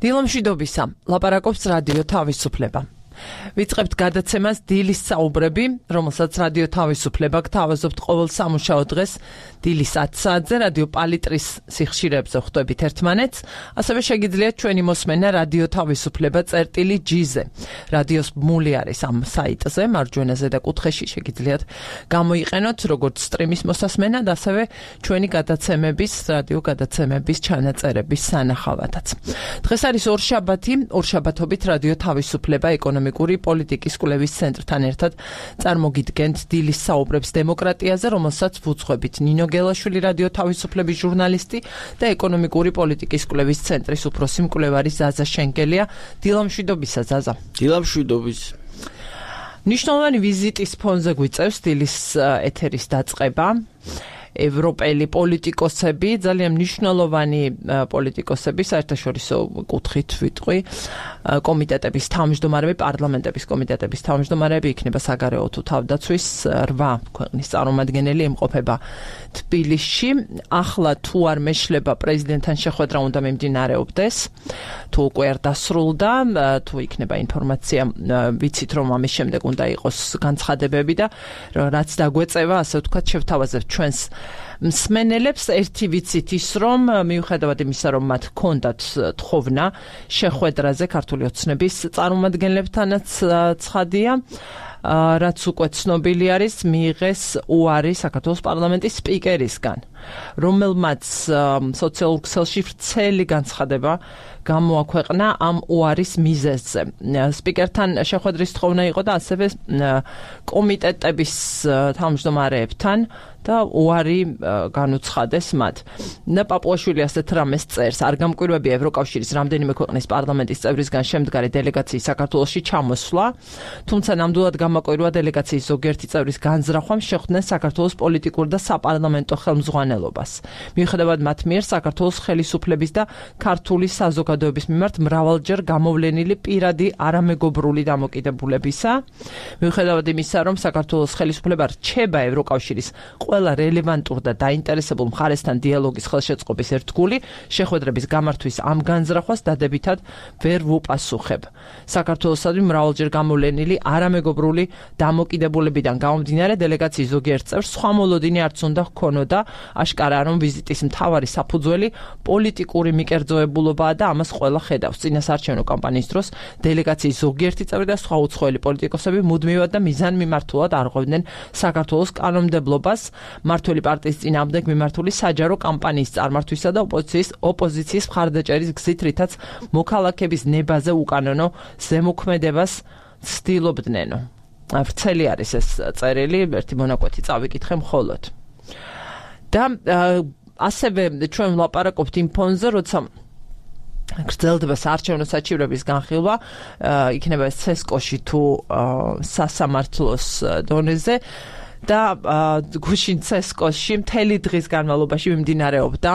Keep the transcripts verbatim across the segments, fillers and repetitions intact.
დილამშვიდობისა, ლაპარაკობს რადიო თავისუფლება. ვიწყებთ გადაცემას დილის საუბრები, რომელსაც რადიო თავისუფლება გთავაზობთ ყოველ სამუშაო დღეს დილის ათი საათზე რადიო პალიტრის სიხშირეებზე ხვდებით ერთმანეთს, ასევე შეგიძლიათ ჩვენი მოსმენა რადიო თავისუფლება წერტილი ჯი-ზე. რადიოს ბმული არის ამ საიტზე, მარჯვენა ზედა კუთხეში შეგიძლიათ გამოიყენოთ როგორც სტრიმის მოსასმენად, ასევე ჩვენი გადაცემების, რადიო გადაცემების ჩანაწერების სანახავადაც. დღეს არის ორშაბათი, ორშაბათობით რადიო თავისუფლება ეკონომიკური პოლიტიკის კვლევის ცენტრთან ერთად წარმოგიდგენთ დილის საუბრებს დემოკრატიაზე, რომელსაც ვუძღვებით ნინო გელაშვილი რადიო თავისუფლების ჟურნალისტი და ეკონომიკური პოლიტიკის კვლევის ცენტრის უფროსი მკვლევარი ზაზა შენკელია. დილამშვიდობისა ზაზა. დილამშვიდობის. მნიშვნელოვანი ვიზიტის ფონზე გვიწევს დილის ეთერის დაწყება. ევროპელი პოლიტიკოსები, ძალიან მნიშვნელოვანი პოლიტიკოსები, საერთაშორისო კუთხით ვიტყვი, კომიტეტების თავმჯდომარეები, პარლამენტების კომიტეტების თავმჯდომარეები, იქნება საგარეო თუ თავდაცვის რვა ქვეყნის წარმომადგენელი იმყოფება თბილისში. ახლა თუ არ მეშლება პრეზიდენტთან შეხვედრა უნდა მიმდინარეობდეს, თუ უკვე არ დასრულდა, თუ იქნება ინფორმაცია, ვიცით რომ ამის შემდეგ უნდა იყოს განცხადებები და რაც დაგვეწევა, ასე ვთქვათ, შევთავაზებთ ჩვენს მსმენელებს. ერთი ვიცით ის, რომ მიუხედავად იმისა, რომ მათ ჰქონდათ თხოვნა შეხვედრაზე ქართული ოცნების წარმომადგენლებთანაც ცხადია, რაც უკვე ცნობილი არის, მიიღეს უარი საქართველოს პარლამენტის სპიკერისგან, რომელმაც სოციალურ ქსელში ვრცელი განცხადება გამოაქვეყნა ამ უარის მიზეზზე. სპიკერთან შეხვედრის თხოვნა იყო და ასევე კომიტეტების თავმჯდომარეებთან და უარი განუცხადეს მათ. და პაპუაშვილი ასეთ რამეს წერს, არ გამკვირვებია ევროკავშირის რამდენიმე ქვეყნის პარლამენტის წევრისგან შემდგარი დელეგაციის საქართველოში ჩამოსვლა, თუმცა ნამდვილად გამაკვირვა დელეგაციის ზოგიერთი წევრის განზრახვამ შეხვდნენ საქართველოს პოლიტიკურ და საპარლამენტო ხელმძღვანელობას. მიუხედავად მათ მიერ საქართველოს ხელისუფლების და ქართული საზოგადოების მიმართ მრავალჯერ გამოვლენილი პირადი არამეგობრული დამოკიდებულებისა, მიუხედავად იმისა, რომ საქართველოს ხელისუფლება რჩება ევროკავშირის ყველა რელევანტურ და დაინტერესებულ მხარესთან დიალოგის ხელშეწყობის ერთგული, შეხვედრების გამართვის ამ განზრახვას დადებითად ვერ ვუპასუხებ. საქართველოსადმი მრავალჯერ გამოვლენილი არამეგობრული დამოკიდებულებიდან გამომდინარე, დელეგაციის ზოგიერთ წევრს სხვა მოლოდინი არც უნდა ჰქონოდა. აშკარაა, რომ ვიზიტის მთავარი საფუძველი პოლიტიკური მიკერძოებულობაა და ამას ყველა ხედავს. წინასაარჩევნო კამპანიის დროს დელეგაციის ზოგიერთი წევრი და სხვა უცხოელი პოლიტიკოსები მუდმივად და მიზანმიმართულად არღვევდნენ საქართველოს კანონმდებლობას, მმართველი პარტიის წინააღმდეგ მიმართული საჯარო კამპანიის წარმართვისა და ოპოზიციის ოპოზიციის მხარდაჭერის გზით, რითაც მოქალაქების ნებაზე უკანონო ზემოქმედებას ცდილობდნენო. ვრცელი არის ეს წერილი, ერთი მონაკვეთი წავიკითხე მხოლოდ. და ასევე ჩვენ ვლაპარაკობთ იმ ფონზე, როცა გრძელდება საარჩევნო საჩივრების განხილვა, იქნება ეს ცესკოში თუ სასამართლოს დონეზე. და გუშინ ცესკოში მთელი დღის განმავლობაში მიმდინარეობდა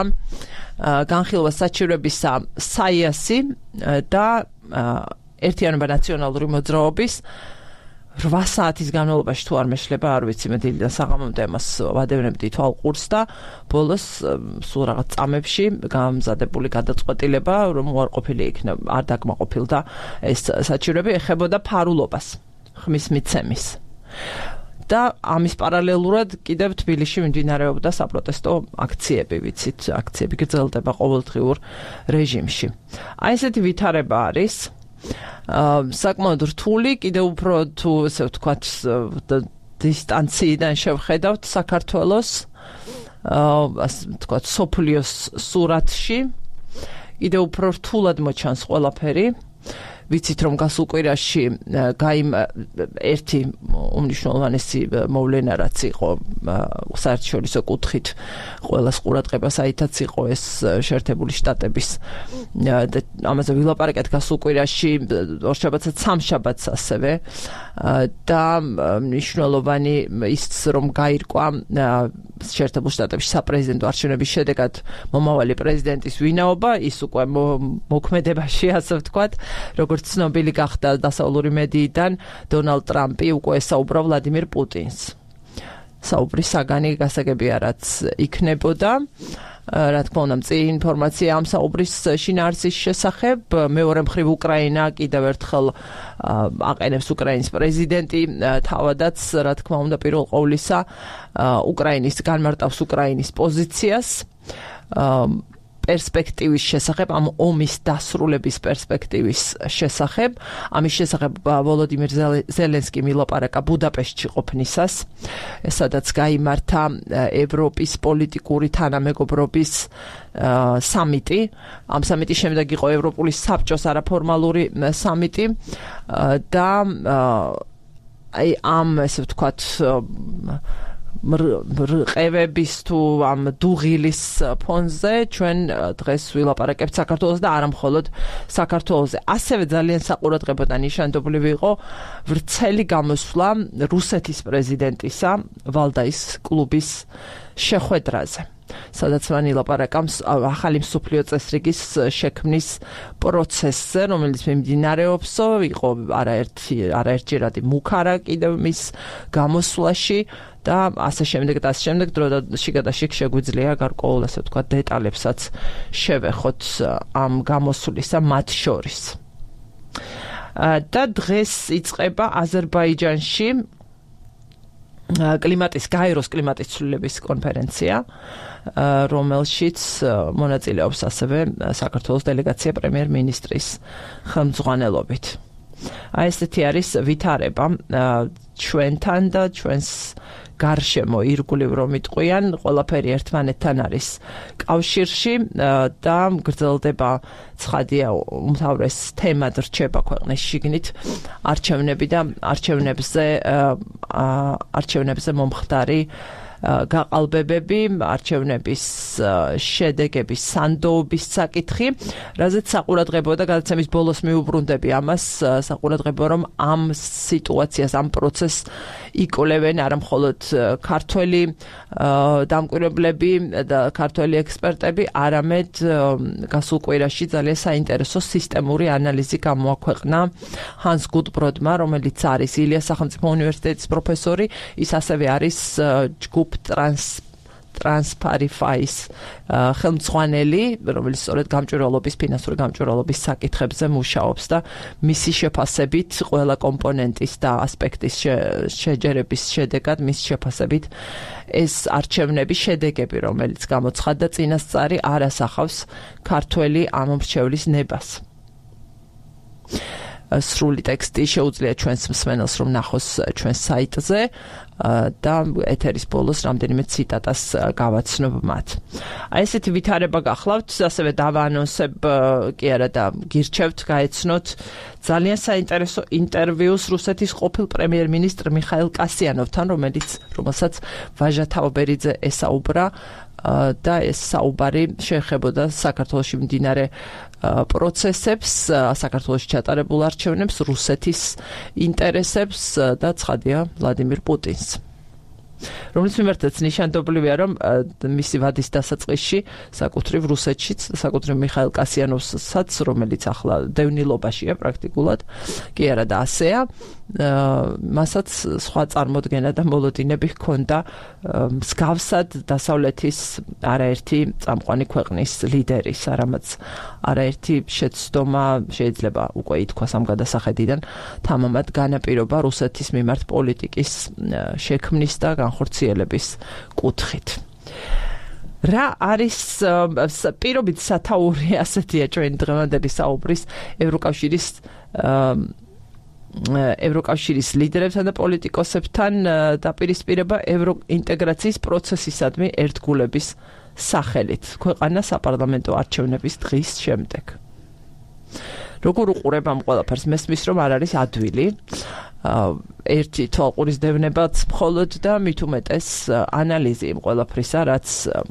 განხილვა საჩივრებისა საიასი და ერთიანობა ნაციონალური მოძრაობის რვა საათის განმავლობაში თუ არ მეშლება, არ ვიცი, მე დილიდან საღამომდე ამას ვადევნებდი თვალყურს და ბოლოს სულ რაღაც წამებში გამზადებული გადაწყვეტილება, რომ უარყოფილი იქნება, არ დაკმაყოფილდა ეს საჩივრები, ეხებოდა ფარულობას, ხმის მიცემის. და ამის პარალელურად კიდევ თბილისში მიმდინარეობდა საპროტესტო აქციები, ვიცით, აქციები გრძელდება ყოველდღიურ რეჟიმში. აი ესეთი ვითარება არის. საკმაოდ რთული, კიდევ უფრო თუ ესე ვთქვათ დისტანციიდან შევხედავთ საქართველოს, ასე ვთქვათ, სოფლიოს სურათში, კიდევ უფრო რთულად მოჩანს ყველაფერი. ვიცით, რომ გასულ კვირაში გაიმ ერთი უმნიშვნელოვანესი მოვლენა, რაც იყო საერთაშორისო კუთხით ყველას ყურადღებას აითაც იყო ეს შეერთებული შტატების და ამაზე ვილაპარაკეთ გასულ კვირაში, ორშაბათსა სამშაბათს ასევე და მნიშვნელოვანი ის რომ გაირკვა შეერთებულ შტატებში საპრეზიდენტო არჩევნების შედეგად მომავალი პრეზიდენტის ვინაობა, ის უკვე მოქმედებაში, ასე ვთქვათ, როგორც ცნობილი გახდა დასავლური მედიიდან, დონალდ ტრამპი უკვე ესაუბრა ვლადიმირ პუტინს. საუბრის საგანი გასაგებია რაც იქნებოდა. რა თქმა უნდა, მწირი ინფორმაცია ამ საუბრის შინაარსის შესახებ. მეორე მხრივ უკრაინა კიდევ ერთხელ აყენებს უკრაინის პრეზიდენტი თავადაც, რა თქმა უნდა, პირველ ყოვლისა უკრაინის განმარტავს უკრაინის პოზიციას. პერსპექტივის შესახებ, ამ ომის დასრულების პერსპექტივის შესახებ. ამის შესახებ ვოლოდიმირ ზელენსკიმ ილაპარაკა ბუდაპეშტში ყოფნისას, სადაც გაიმართა ევროპის პოლიტიკური თანამეგობრობის სამიტი. ამ სამიტის შემდეგ იყო ევროპული საბჭოს არაფორმალური სამიტი და აი ამ ესე ვთქვათ მრყევების თუ ამ დუღილის ფონზე ჩვენ დღეს ვილაპარაკებთ საქართველოს და არა მხოლოდ საქართველოზე. ასევე ძალიან საყურადღებო და ნიშანდობლივი იყო ვრცელი გამოსვლა რუსეთის პრეზიდენტისა ვალდაის კლუბის შეხვედრაზე, სადაც მან ილაპარაკა ახალი მსოფლიო წესრიგის შექმნის პროცესზე, რომელიც მიმდინარეობსო, იყო არაერთი არაერთჯერადი მუქარა კიდევ მის გამოსვლაში და ასე შემდეგ და ასე შემდეგ დროში გადაშიქ შეგვიძლია გარკვეულ ასე ვთქვათ დეტალებსაც შევეხოთ ამ გამოსვლისა მათ შორის. და დღეს იწყება აზერბაიჯანში კლიმატის გაეროს კლიმატის ცვლილების კონფერენცია, რომელშიც მონაწილეობს ასევე საქართველოს დელეგაცია პრემიერ-მინისტრის ხელმძღვანელობით. აი ესეთი არის ვითარება ჩვენთან და ჩვენს გარშემო ირგვლივ რომ იტყვიან, ყველაფერი ერთმანეთთან არის კავშირში და გრძელდება ცხადია უმთავრეს თემად რჩება ქვეყნის შიგნით არჩევნები და არჩევნებზე არჩევნებზე მომხდარი გაყალბებები, არჩევნების შედეგების სანდოობის საკითხი, რაზეც საყურადღებო და გადაცემის ბოლოს მიუბრუნდები ამას, საყურადღებო რომ ამ სიტუაციას, ამ პროცესს იკვლევენ არა მხოლოდ ქართველი დამკვირვებლები და ქართველი ექსპერტები, არამედ გასულ კვირაში ძალიან საინტერესო სისტემური ანალიზი გამოაქვეყნა ჰანს გუდბროდმა, რომელიც არის ილიას სახელმწიფო უნივერსიტეტის პროფესორი, ის ასევე არის ჯგუფ ტრანს ტრანსპარიფაის ხელმძღვანელი, რომელიც სწორედ გამჭვირვალობის, ფინანსური გამჭვირვალობის საკითხებზე მუშაობს და მისი შეფასებით ყველა კომპონენტის და ასპექტის შეჯერების შედეგად მის შეფასებით ეს არჩევნების შედეგები, რომელიც გამოცხადდა წინასწარი, არ ასახავს ქართველი ამომრჩევლის ნებას. სრული ტექსტი შეუძლია ჩვენს მსმენელს რომ ნახოს ჩვენს საიტზე და ეთერის ბოლოს რამდენიმე ციტატას გავაცნობ მათ. აი ესეთი ვითარება გახლავთ, ასევე დავაანონსებ კი არა და გირჩევთ გაეცნოთ ძალიან საინტერესო ინტერვიუს რუსეთის ყოფილ პრემიერ-მინისტრ მიხაილ კასიანოვთან, რომელიც რომელსაც ვაჟა თაობერიძე ესაუბრა და ეს საუბარი შეეხებოდა საქართველოში მიმდინარე პროცესებს, საქართველოში ჩატარებულ არჩევნებს, რუსეთის ინტერესებს და ცხადია ვლადიმირ პუტინს. რომელიც მიმართაც ნიშანდობლივია, რომ მისი ვადის დასაწყისში საკუთრივ რუსეთშიც, საკუთრივ მიხაილ კასიანოვსაც, რომელიც ახლა დევნილობაშია პრაქტიკულად, კი არა და ასეა, მასაც სხვა წარმოდგენა და მოლოდინები ჰქონდა მსგავსად დასავლეთის არაერთი წამყვანი ქვეყნის ლიდერის, არამაც არაერთი შეცდომა შეიძლება უკვე ითქვას ამ გადასახედიდან თამამად განაპირობა რუსეთის მიმართ პოლიტიკის შექმნის და განხორციელების კუთხით. რა არის პირობით სათაური ასეთია ჩვენი დღევანდელი საუბრის ევროკავშირის ევროკავშირის ლიდერებთან და პოლიტიკოსებთან დაპირისპირება ევროინტეგრაციის პროცესისადმი ერთგულების სახელით ქვეყანა საპარლამენტო არჩევნების დღის შემდეგ. როგორ უყურებ ამ ყველაფერს? მესმის რომ არ არის ადვილი. ერთი თვალყურის დევნებაც მხოლოდ და მით უმეტეს ანალიზი იმ ყველაფრისა, რაც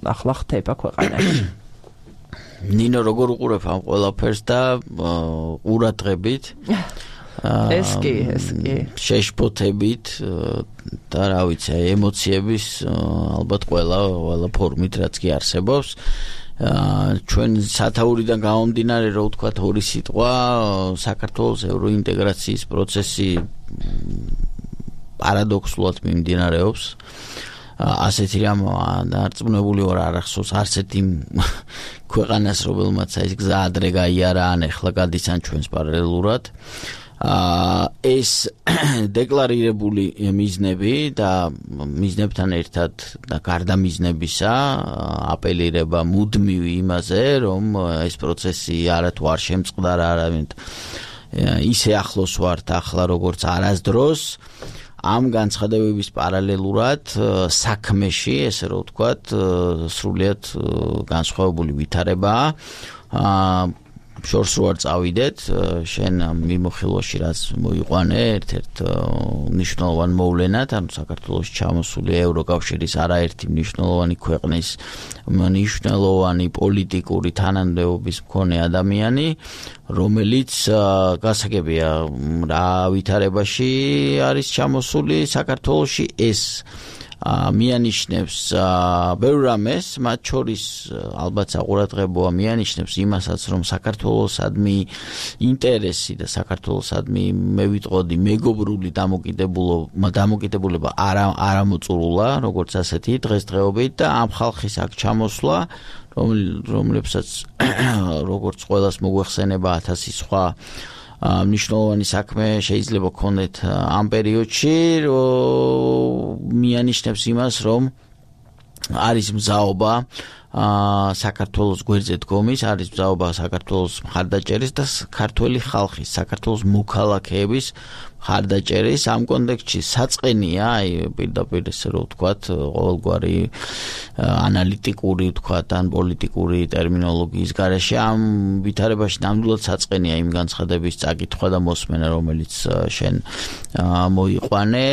ახლა ხდება ქვეყანაში. ნინო, როგორ უყურებ ამ ყველაფერს და ყურადღებით? ეს კი, ეს კი. შეშფოთებით და რა ვიცი, ემოციების ალბათ ყველა ყველა ფორმით რაც კი არსებობს. ჩვენ სათაურიდან გამომდინარე რო ვთქვათ ორი სიტყვა, საქართველოს ევროინტეგრაციის პროცესი პარადოქსულად მიმდინარეობს. ასეთი რამ დარწმუნებული ვარ არ ახსოვს არც ერთი ქვეყანას რომელმაც ეს გზა ადრე გაიარა ან ეხლა გადის ან ჩვენს პარალელურად ეს დეკლარირებული მიზნები და მიზნებთან ერთად და გარდა მიზნებისა აპელირება მუდმივ იმაზე რომ ეს პროცესი არათუ არ შემწყდარა არავინ ისე ახლოს ვართ ახლა როგორც არასდროს ამ განცხადებების პარალელურად საქმეში ესე რომ ვთქვათ სრულიად განსხვავებული ვითარებაა შორს რო არ წავიდეთ შენ მიმოხილვაში რაც მოიყვანე ერთ-ერთ მნიშვნელოვან მოვლენად ანუ საქართველოს ჩამოსული ევროკავშირის არაერთი მნიშვნელოვანი ქვეყნის მნიშვნელოვანი პოლიტიკური თანამდებობის მქონე ადამიანი რომელიც გასაგებია რა ვითარებაში არის ჩამოსული საქართველოში ეს მიანიშნებს ბევრ რამეს, მათ შორის ალბათ საყურადღებოა მიანიშნებს იმასაც, რომ საქართველოსადმი ინტერესი და საქართველოსადმი მე ვიტყოდი მეგობრული დამოკიდებულება დამოკიდებულება არ არ მოწურულა, როგორც ასეთი დღესდღეობით და ამ ხალხის აქ ჩამოსვლა, რომლებსაც როგორც ყველას მოგვეხსენება ათასი სხვა მნიშვნელოვანი საქმე შეიძლება გქონდეთ ამ პერიოდში მიანიშნებს იმას რომ არის მზაობა საქართველოს გვერდზე დგომის არის მზაობა საქართველოს მხარდაჭერის და ქართველი ხალხის საქართველოს მოქალაქეების მხარდაჭერის ამ კონტექსტში საწყენია აი პირდაპირ ესე რომ ვთქვათ ყოველგვარი ანალიტიკური ვთქვათ ან პოლიტიკური ტერმინოლოგიის გარეშე ამ ვითარებაში ნამდვილად საწყენია იმ განცხადების წაკითხვა და მოსმენა რომელიც შენ მოიყვანე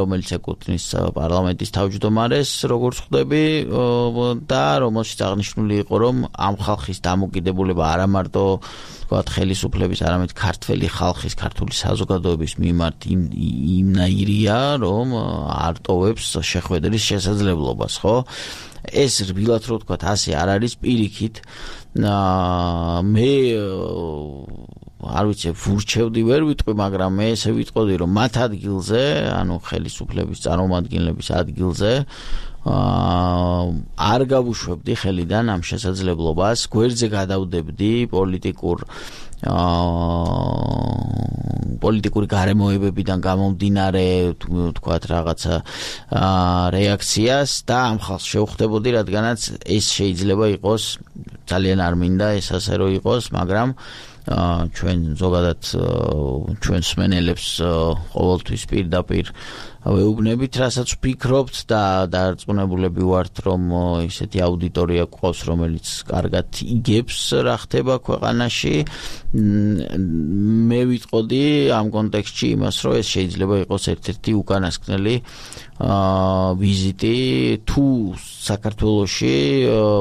რომელიც ეკუთვნის პარლამენტის თავმჯდომარეს როგორც ხვდები და რომელშიც აღნიშნული იყო რომ ამ ხალხის დამოკიდებულება არა მარტო ვთქვათ ხელისუფლების არამედ ქართველი ხალხის ქართული საზოგადოების მიმართ იმნაირია რომ არ ტოვებს შეხვედრის შესაძლებლობას ხო ეს რბილად რო ვთქვათ ასე არ არის პირიქით მე არ ვიცი ვურჩევდი ვერ ვიტყვი მაგრამ მე ესე ვიტყოდი რომ მათ ადგილზე ანუ ხელისუფლების წარმომადგენლების ადგილზე არ გავუშვებდი ხელიდან ამ შესაძლებლობას გვერდზე გადავდებდი პოლიტიკურ პოლიტიკური გარემოებებიდან გამომდინარე თქვათ რაღაცა რეაქციას და ამ ხალხს შევხვდებოდი რადგანაც ეს შეიძლება იყოს ძალიან არ მინდა ეს ასე რომ იყოს მაგრამ ჩვენ ზოგადად ჩვენ სმენელებს ყოველთვის პირდაპირ ვეუბნებით რასაც ვფიქრობთ და დარწმუნებულები ვართ რომ ისეთი აუდიტორია გვყავს რომელიც კარგად იგებს რა ხდება ქვეყანაში მე ვიტყოდი ამ კონტექსტში იმას რომ ეს შეიძლება იყოს ერთ-ერთი უკანასკნელი ვიზიტი თუ საქართველოში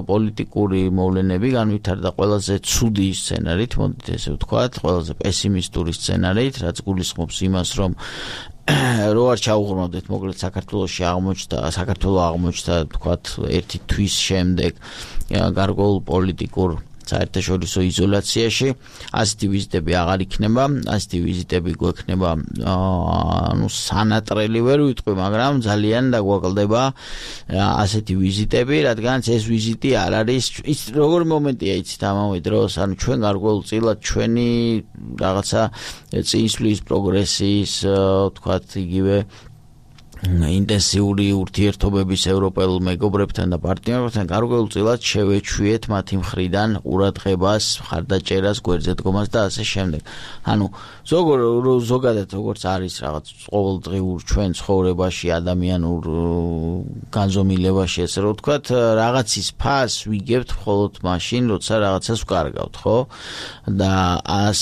პოლიტიკური მოვლენები განვითარდა ყველაზე ცუდი სცენარით მოდით ესე ვთქვათ ყველაზე პესიმისტური სცენარით რაც გულისხმობს იმას რომ რო არ ჩაუღრმავდეთ მოკლედ საქართველოში აღმოჩნდა საქართველო აღმოჩნდა თქვათ ერთი თვის შემდეგ გარკვეულ პოლიტიკურ საერთაშორისო იზოლაციაში ასეთი ვიზიტები აღარ იქნება ასეთი ვიზიტები გვექნება ანუ სანატრელი ვერ ვიტყვი მაგრამ ძალიან დაგვაკლდება ასეთი ვიზიტები რადგანაც ეს ვიზიტი არ არის ის როგორი მომენტია იცით ამავე დროს ანუ ჩვენ გარკვეულწილად ჩვენი რაღაცა წინსვლის პროგრესის თქვათ იგივე ინტენსიური ურთიერთობების ევროპელ მეგობრებთან და პარტნიორებთან გარკვეულწილად შევეჩვიეთ მათი მხრიდან ყურადღებას, მხარდაჭერას, გვერდზე დგომას და ასე შემდეგ. ანუ ზოგადად როგორც არის რაღაც ყოველდღიურ ჩვენ ცხოვრებაში, ადამიანურ განზომილებაში, ესე რომ ვთქვათ, რაღაცის ფასს ვიგებთ მხოლოდ მაშინ, როცა რაღაცას ვკარგავთ, ხო? და ას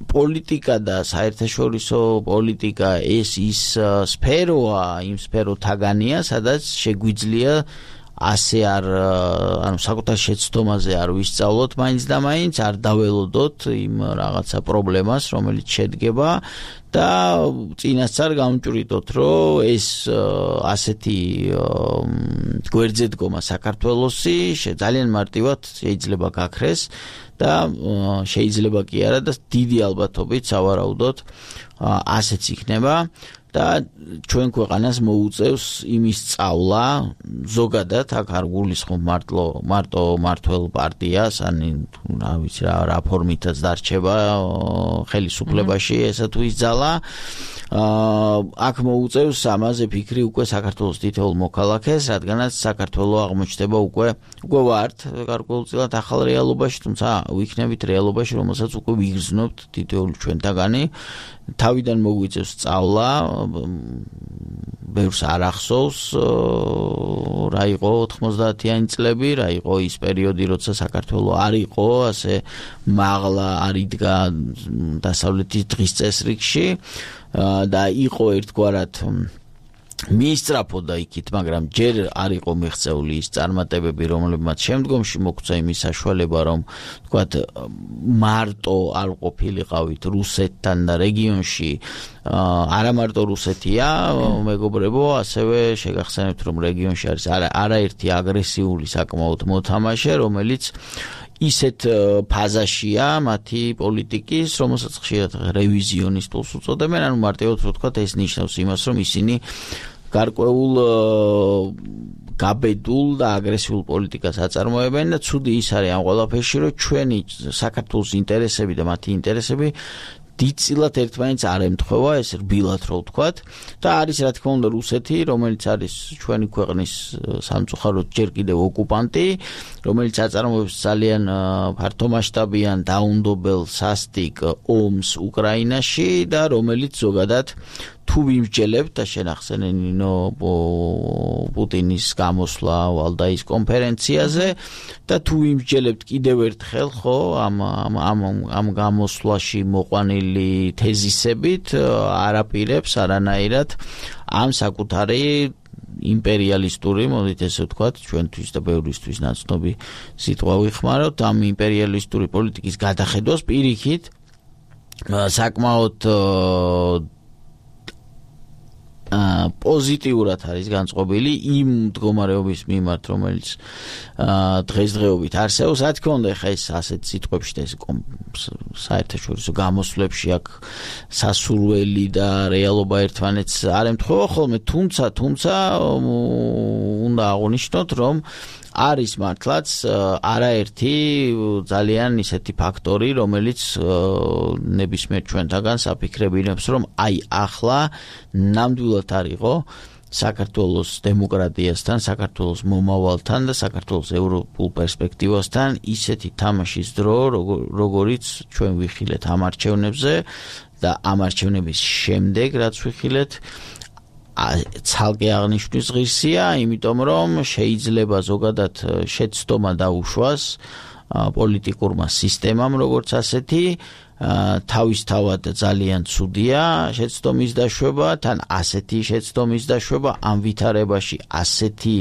პოლიტიკა და საერთაშორისო პოლიტიკა ეს ის სფეროა, იმ სფეროთაგანია, სადაც შეგვიძლია ასე არ ანუ საკუთარ შეცდომაზე არ ვისწავლოთ მაინც და მაინც არ დაველოდოთ იმ რაღაცა პრობლემას, რომელიც შედგება და წინასწარ გამჭვრიტოთ, რომ ეს ასეთი გვერდზე დგომა საქართველოსი ძალიან მარტივად შეიძლება გაქრეს და შეიძლება კი არა და დიდი ალბათობით სავარაუდოდ ასეც იქნება და ჩვენ ქვეყანას მოუწევს იმის სწავლა ზოგადად აქ არ გულისხმობ მარტო მარტო მართველ პარტიას ან რა ვიცი რა რა ფორმითაც დარჩება ხელისუფლებაში ესა თუ ის ძალა აქ მოუწევს ამაზე ფიქრი უკვე საქართველოს თითოეულ მოქალაქეს, რადგანაც საქართველოს აღმოჩნდება უკვე უკვე ვართ გარკვეულწილად ახალ რეალობაში, თუმცა ვიქნებით რეალობაში, რომელსაც უკვე ვიგრძნობთ თითოეული ჩვენთაგანი. თავიდან მოგვიწევს სწავლა, ბევრს არ ახსოვს რა იყო ოთხმოცდაათიანი წლები, რა იყო ის პერიოდი, როცა საქართველოს არ იყო ასე მაღლა არ იდგა დასავლეთის დღის წესრიგში და იყო ერთგვარად მიისწრაფოდა იქით, მაგრამ ჯერ არ იყო მიღწეული ის წარმატებები, რომლებმაც შემდგომში მოგვცა იმის საშუალება, რომ თქვათ მარტო არ ყოფილიყავით რუსეთთან და რეგიონში არა მარტო რუსეთია, მეგობრებო, ასევე შეგახსენებთ, რომ რეგიონში არის არაერთი აგრესიული საკმაოდ მოთამაშე, რომელიც ისეთ ფაზაშია მათი პოლიტიკის, რომელსაც ხშირად რევიზიონისტულს უწოდებენ, ანუ მარტივად რო ვთქვათ, ეს ნიშნავს იმას, რომ ისინი გარკვეულ გაბედულ და აგრესიულ პოლიტიკას აწარმოებენ და ცუდი ის არის ამ ყველაფერში, რომ ჩვენი საქართველოს ინტერესები და მათი ინტერესები დიდწილად ერთმანეთს არ ემთხვევა, ეს რბილად რო ვთქვათ და არის რა თქმა უნდა რუსეთი, რომელიც არის ჩვენი ქვეყნის სამწუხაროდ ჯერ კიდევ ოკუპანტი, რომელიც აწარმოებს ძალიან ფართომასშტაბიან დაუნდობელ სასტიკ ომს უკრაინაში და რომელიც ზოგადად თუ ვიმსჯელებთ და შენახსენე ნინო პუტინის გამოსვლა ვალდაის კონფერენციაზე და თუ ვიმსჯელებთ კიდევ ერთხელ ხო ამ ამ ამ გამოსვლაში მოყვანილი თეზისებით არაპირებს არანაირად ამ საკუთარი იმპერიალისტური, მოდით ესე ვთქვათ, ჩვენთვის და ბევრისთვის ნაცნობი სიტყვა ვიხმაროთ, ამ იმპერიალისტური პოლიტიკის გადახედვას პირიქით საკმაოდ პოზიტიურად არის განწყობილი იმ მდგომარეობის მიმართ, რომელიც დღესდღეობით არსებობს. რა თქმა უნდა, ხა ეს ასეთ სიტყვებში და ეს საერთაშორისო გამოსვლებში აქ სასურველი და რეალობა ერთმანეთს არ ემთხვევა ხოლმე, თუმცა, თუმცა უნდა აღვნიშნოთ, რომ არის მართლაც არაერთი ძალიან ისეთი ფაქტორი, რომელიც ნებისმიერ ჩვენთაგან საფიქრებინებს, რომ აი ახლა ნამდვილად არ იყო საქართველოს დემოკრატიასთან, საქართველოს მომავალთან და საქართველოს ევროპულ პერსპექტივასთან ისეთი თამაშის დრო, როგორიც ჩვენ ვიხილეთ ამ არჩევნებზე და ამ არჩევნების შემდეგ, რაც ვიხილეთ, ცალკე აღნიშვნის ღირსია, იმიტომ რომ შეიძლება ზოგადად შეცდომა დაუშვას პოლიტიკურმა სისტემამ, როგორც ასეთი, თავისთავად ძალიან ცუდია შეცდომის დაშვება, თან ასეთი შეცდომის დაშვება, ამ ვითარებაში ასეთი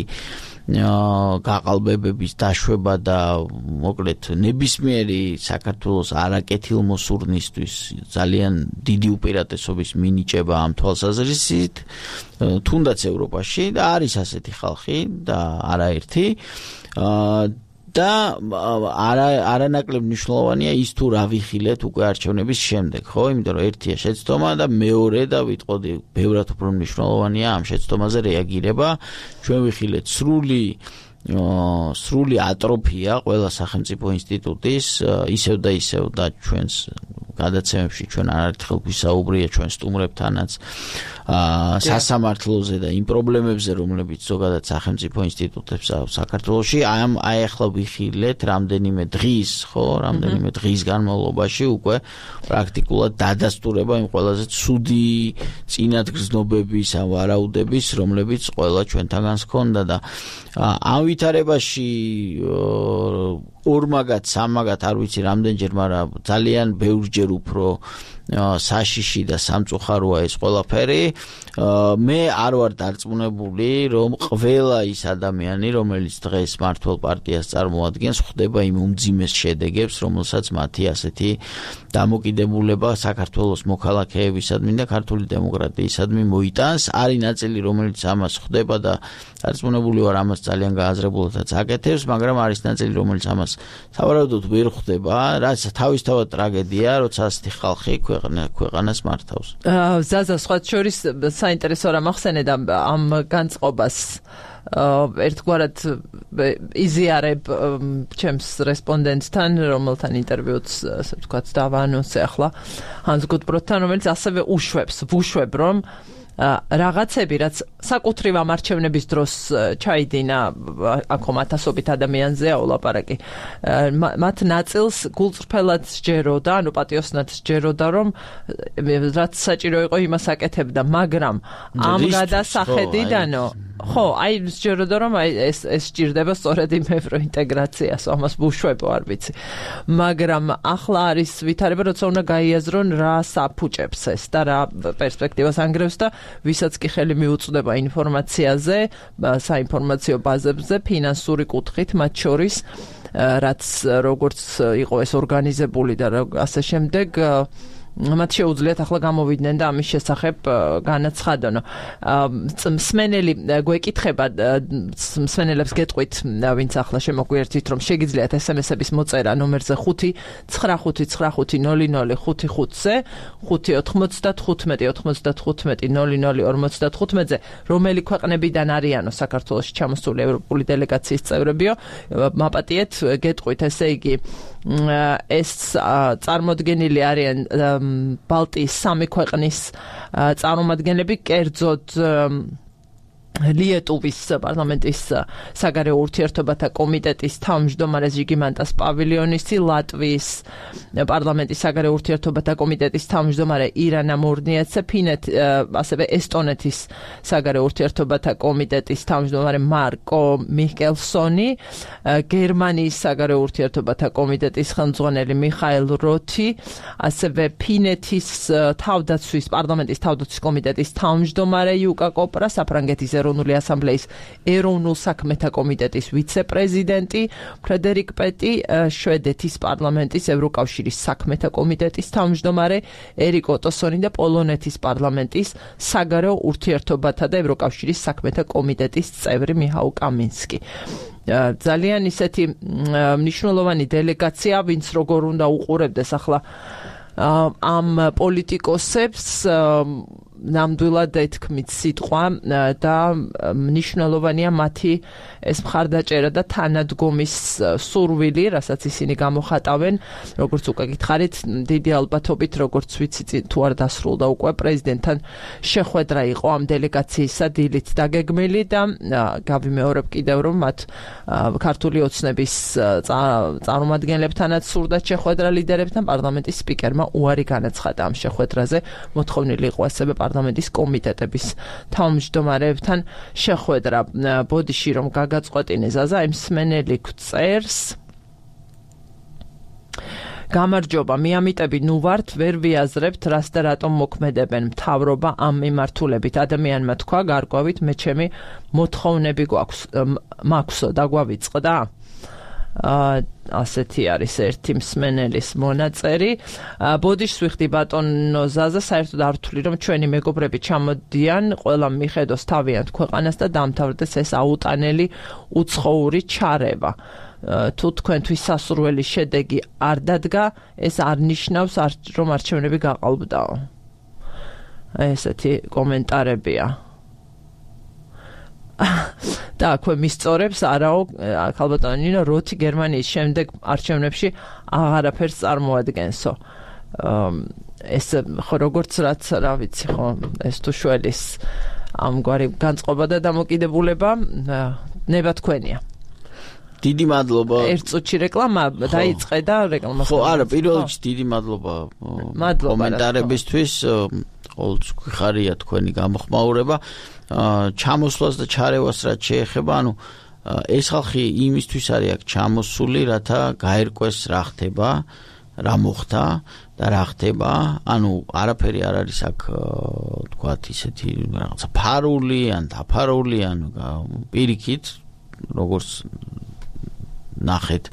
გაყალბებების დაშვება და მოკლედ ნებისმიერი საქართველოს არაკეთილმოსურნისთვის ძალიან დიდი უპირატესობის მინიჭება ამ თვალსაზრისით, თუნდაც ევროპაში და არის ასეთი ხალხი და არაერთი და არანაკლებ მნიშვნელოვანია ის თუ რა ვიხილეთ უკვე არჩევნების შემდეგ, ხო? იმიტომ რომ ერთია შეცდომა და მეორე და ვიტყოდი, ბევრად უფრო მნიშვნელოვანია ამ შეცდომაზე რეაგირება. ჩვენ ვიხილეთ სრული სრული ატროფია ყველა სახელმწიფო ინსტიტუტის, ისევ და ისევ და ჩვენს გადაცემებში ჩვენ არაერთხელ გვისაუბრია ჩვენ სტუმრებთანაც სასამართლოზე და იმ პრობლემებზე, რომლებიც ზოგადად სახელმწიფო ინსტიტუტებს აქვს საქართველოში. ამ აი ახლა ვიხილეთ რამდენიმე დღის, ხო, რამდენიმე დღის განმავლობაში უკვე პრაქტიკულად დადასტურება იმ ყველაზე ცუდი წინადგრძნობების ან ვარაუდების, რომლებიც ყველა ჩვენთაგანს ჰქონდა და ამ ვითარებაში ორმაგად, სამაგად არ ვიცი რამდენჯერ, მაგრამ ძალიან ბევრჯერ უფრო საშიში და სამწუხაროა ეს ყველაფერი. მე არ ვარ დარწმუნებული, რომ ყველა ის ადამიანი, რომელიც დღეს მართლ პარტიას წარმოადგენს, ხვდება იმ უმძიმეს შედეგებს, რომელსაც მათი ასეთი დამოკიდებულება საქართველოს მოქალაქეებისადმი და ქართული დემოკრატიისადმი მოიტანს. არის ნაწილი, რომელიც ამას ხვდება და დარწმუნებული ვარ, ამას ძალიან გააზრებულადაც აკეთებს, მაგრამ არის ნაწილი, რომელიც ამას სავარაუდოდ ვერ ხვდება, რაც თავისთავად ტრაგედია, როცა ასეთი ხალხი ქვეყანას მართავს. ზაზა, სხვა შორის საინტერესო რამ ახსენე და ამ განწყობას ერთგვარად იზიარებ ჩემს რესპონდენტთან, რომელთან ინტერვიუც, ასე ვთქვათ, დავაანონსე ახლა ჰანს გუტბროთთან, რომელიც ასევე უშვებს, ვუშვებ, რომ რაღაცები, რაც საკუთრივ ამ არჩევნების დროს ჩაიდინა, აქ ათასობით ადამიანზეა ოლაპარაკი, მათ ნაწილს გულწრფელად სჯეროდა, ანუ პატიოსნად სჯეროდა, რომ რაც საჭირო იყო იმას აკეთებდა, მაგრამ ამ გადასახედიდანო ხო, აი სჯეროდა, რომ აი ეს ეს სჭირდება სწორედ იმ ევროინტეგრაციას, ამას ვუშვებო, არ ვიცი. მაგრამ ახლა არის ვითარება, როცა უნდა გაიაზრონ რა საფუჭებს ეს და რა პერსპექტივას ანგრევს და ვისაც კი ხელი მიუწვდება ინფორმაციაზე, საინფორმაციო ბაზებზე, ფინანსური კუთხით, მათ შორის, რაც როგორც იყო ეს ორგანიზებული და ასე შემდეგ, მათ შეუძლიათ ახლა გამოვიდნენ და ამის შესახებ განაცხადონ. მსმენელი გვეკითხება, მსმენელებს გეტყვით, ვინც ახლა შემოგვიერთით, რომ შეგიძლიათ ესემესების მოწერა ნომერზე ხუთი ცხრა ხუთი ცხრა ხუთი ნული ნული ხუთი ხუთზე, ხუთი ოცდათხუთმეტი ოცდათხუთმეტი ნული ნული ორმოცდათხუთმეტზე, რომელი ქვეყნებიდან არიანო საქართველოში ჩამოსული ევროპული დელეგაციის წევრებიო, მაპატიეთ, გეტყვით, ესე იგი, ეს წარმოდგენილი არიან ბალტიის სამი ქვეყნის წარმომადგენლები, კერძოდ ლიეტუვის პარლამენტის საგარეო ურთიერთობათა კომიტეტის თავმჯდომარე ჟიგიმანტას პავილიონისი, ლატვიის პარლამენტის საგარეო ურთიერთობათა კომიტეტის თავმჯდომარე ირანა მურნიეცე, ფინეთ, ასევე ესტონეთის საგარეო ურთიერთობათა კომიტეტის თავმჯდომარე მარკო მიხკელსონი, გერმანიის საგარეო ურთიერთობათა კომიტეტის ხელმძღვანელი მიხაილ როთი, ასევე ფინეთის თავდაცვის პარლამენტის თავდაცვის კომიტეტის თავმჯდომარე იუკა კოპრა, საფრანგეთის ეროვნული ასამბლეის ეროვნულ საქმეთა კომიტეტის ვიცე-პრეზიდენტი ფრედერიკ პეტი, შვედეთის პარლამენტის ევროკავშირის საქმეთა კომიტეტის თავმჯდომარე ერიკ ოტოსონი და პოლონეთის პარლამენტის საგარეო ურთიერთობათა და ევროკავშირის საქმეთა კომიტეტის წევრი მიჰაილ კამინსკი. ძალიან ისეთი მნიშვნელოვანი დელეგაცია, ვინც როგორ უნდა უყურებდეს ახლა ამ პოლიტიკოსებს, ნამდვილად ეთქმით სიტყვა და მნიშვნელოვანია მათი ეს მხარდაჭერა და თანადგომის სურვილი, რასაც ისინი გამოხატავენ, როგორც უკვე გითხარით, დიდი ალბათობით, როგორც ვიცი, თუ არ დასრულდა უკვე პრეზიდენტთან შეხვედრა იყო ამ დელეგაციისა დილით დაგეგმილი და გავიმეორებ კიდევ, რომ მათ ქართული ოცნების წარმომადგენლებთანაც სურდათ შეხვედრა ლიდერებთან, პარლამენტის სპიკერმა უარი განაცხადა ამ შეხვედრაზე, მოთხოვნილი იყო ასევე პარლამენტის კომიტეტების თავმჯდომარეებთან შეხვედრა. ბოდიში რომ გაგაწყვეტინე ზაზა, იმ მსმენელი გწერს. გამარჯობა, მიამიტები ნუ ვართ, ვერ ვიაზრებთ, რას და რატომ მოქმედებენ მთავრობა ამ მიმართულებით. ადამიანმა თქვა, გარკვევით, მე ჩემი მოთხოვნები გვაქვს, მაქვსო, დაგვავიწყდა. ასეთი არის ერთი მსმენელის მონაწერი. ბოდიშს ვიხდი ბატონო ზაზა, საერთოდ არ ვთვლი, რომ ჩვენი მეგობრები ჩამოდიან, ყველა მიხედოს თავიანთ ქვეყანას და დამთავრდეს ეს აუტანელი უცხოური ჩარევა. თუ თქვენთვის სასურველი შედეგი არ დადგა, ეს არ ნიშნავს, რომ არჩევნები გაყალბდაო. ესეთი კომენტარებია. და აქვე მისწორებს, არაო, ქალბატონო ნინო, როთი გერმანიის შემდეგ არჩევნებში აღარაფერს წარმოადგენსო. ეს ხო როგორც რაც, რა ვიცი, ხო, ეს თუ შველის ამგვარი განწყობა და დამოკიდებულება ნება თქვენია. დიდი მადლობა. ერთ წუთში რეკლამა დაიწყე და რეკლამა. ხო, არა, პირველ რიგში დიდი მადლობა კომენტარებისთვის. ყოველთვის გვიხარია თქვენი გამოხმაურება. ჩამოსვლას და ჩარევას რაც შეეხება, ანუ ეს ხალხი იმისთვის არის აქ ჩამოსული, რათა გაერკვეს რა ხდება, რა მოხდა და რა ხდება? ანუ არაფერი არ არის აქ თქვათ ისეთი რაღაცა ფარული ან დაფარული ან პირიქით როგორც ნახეთ,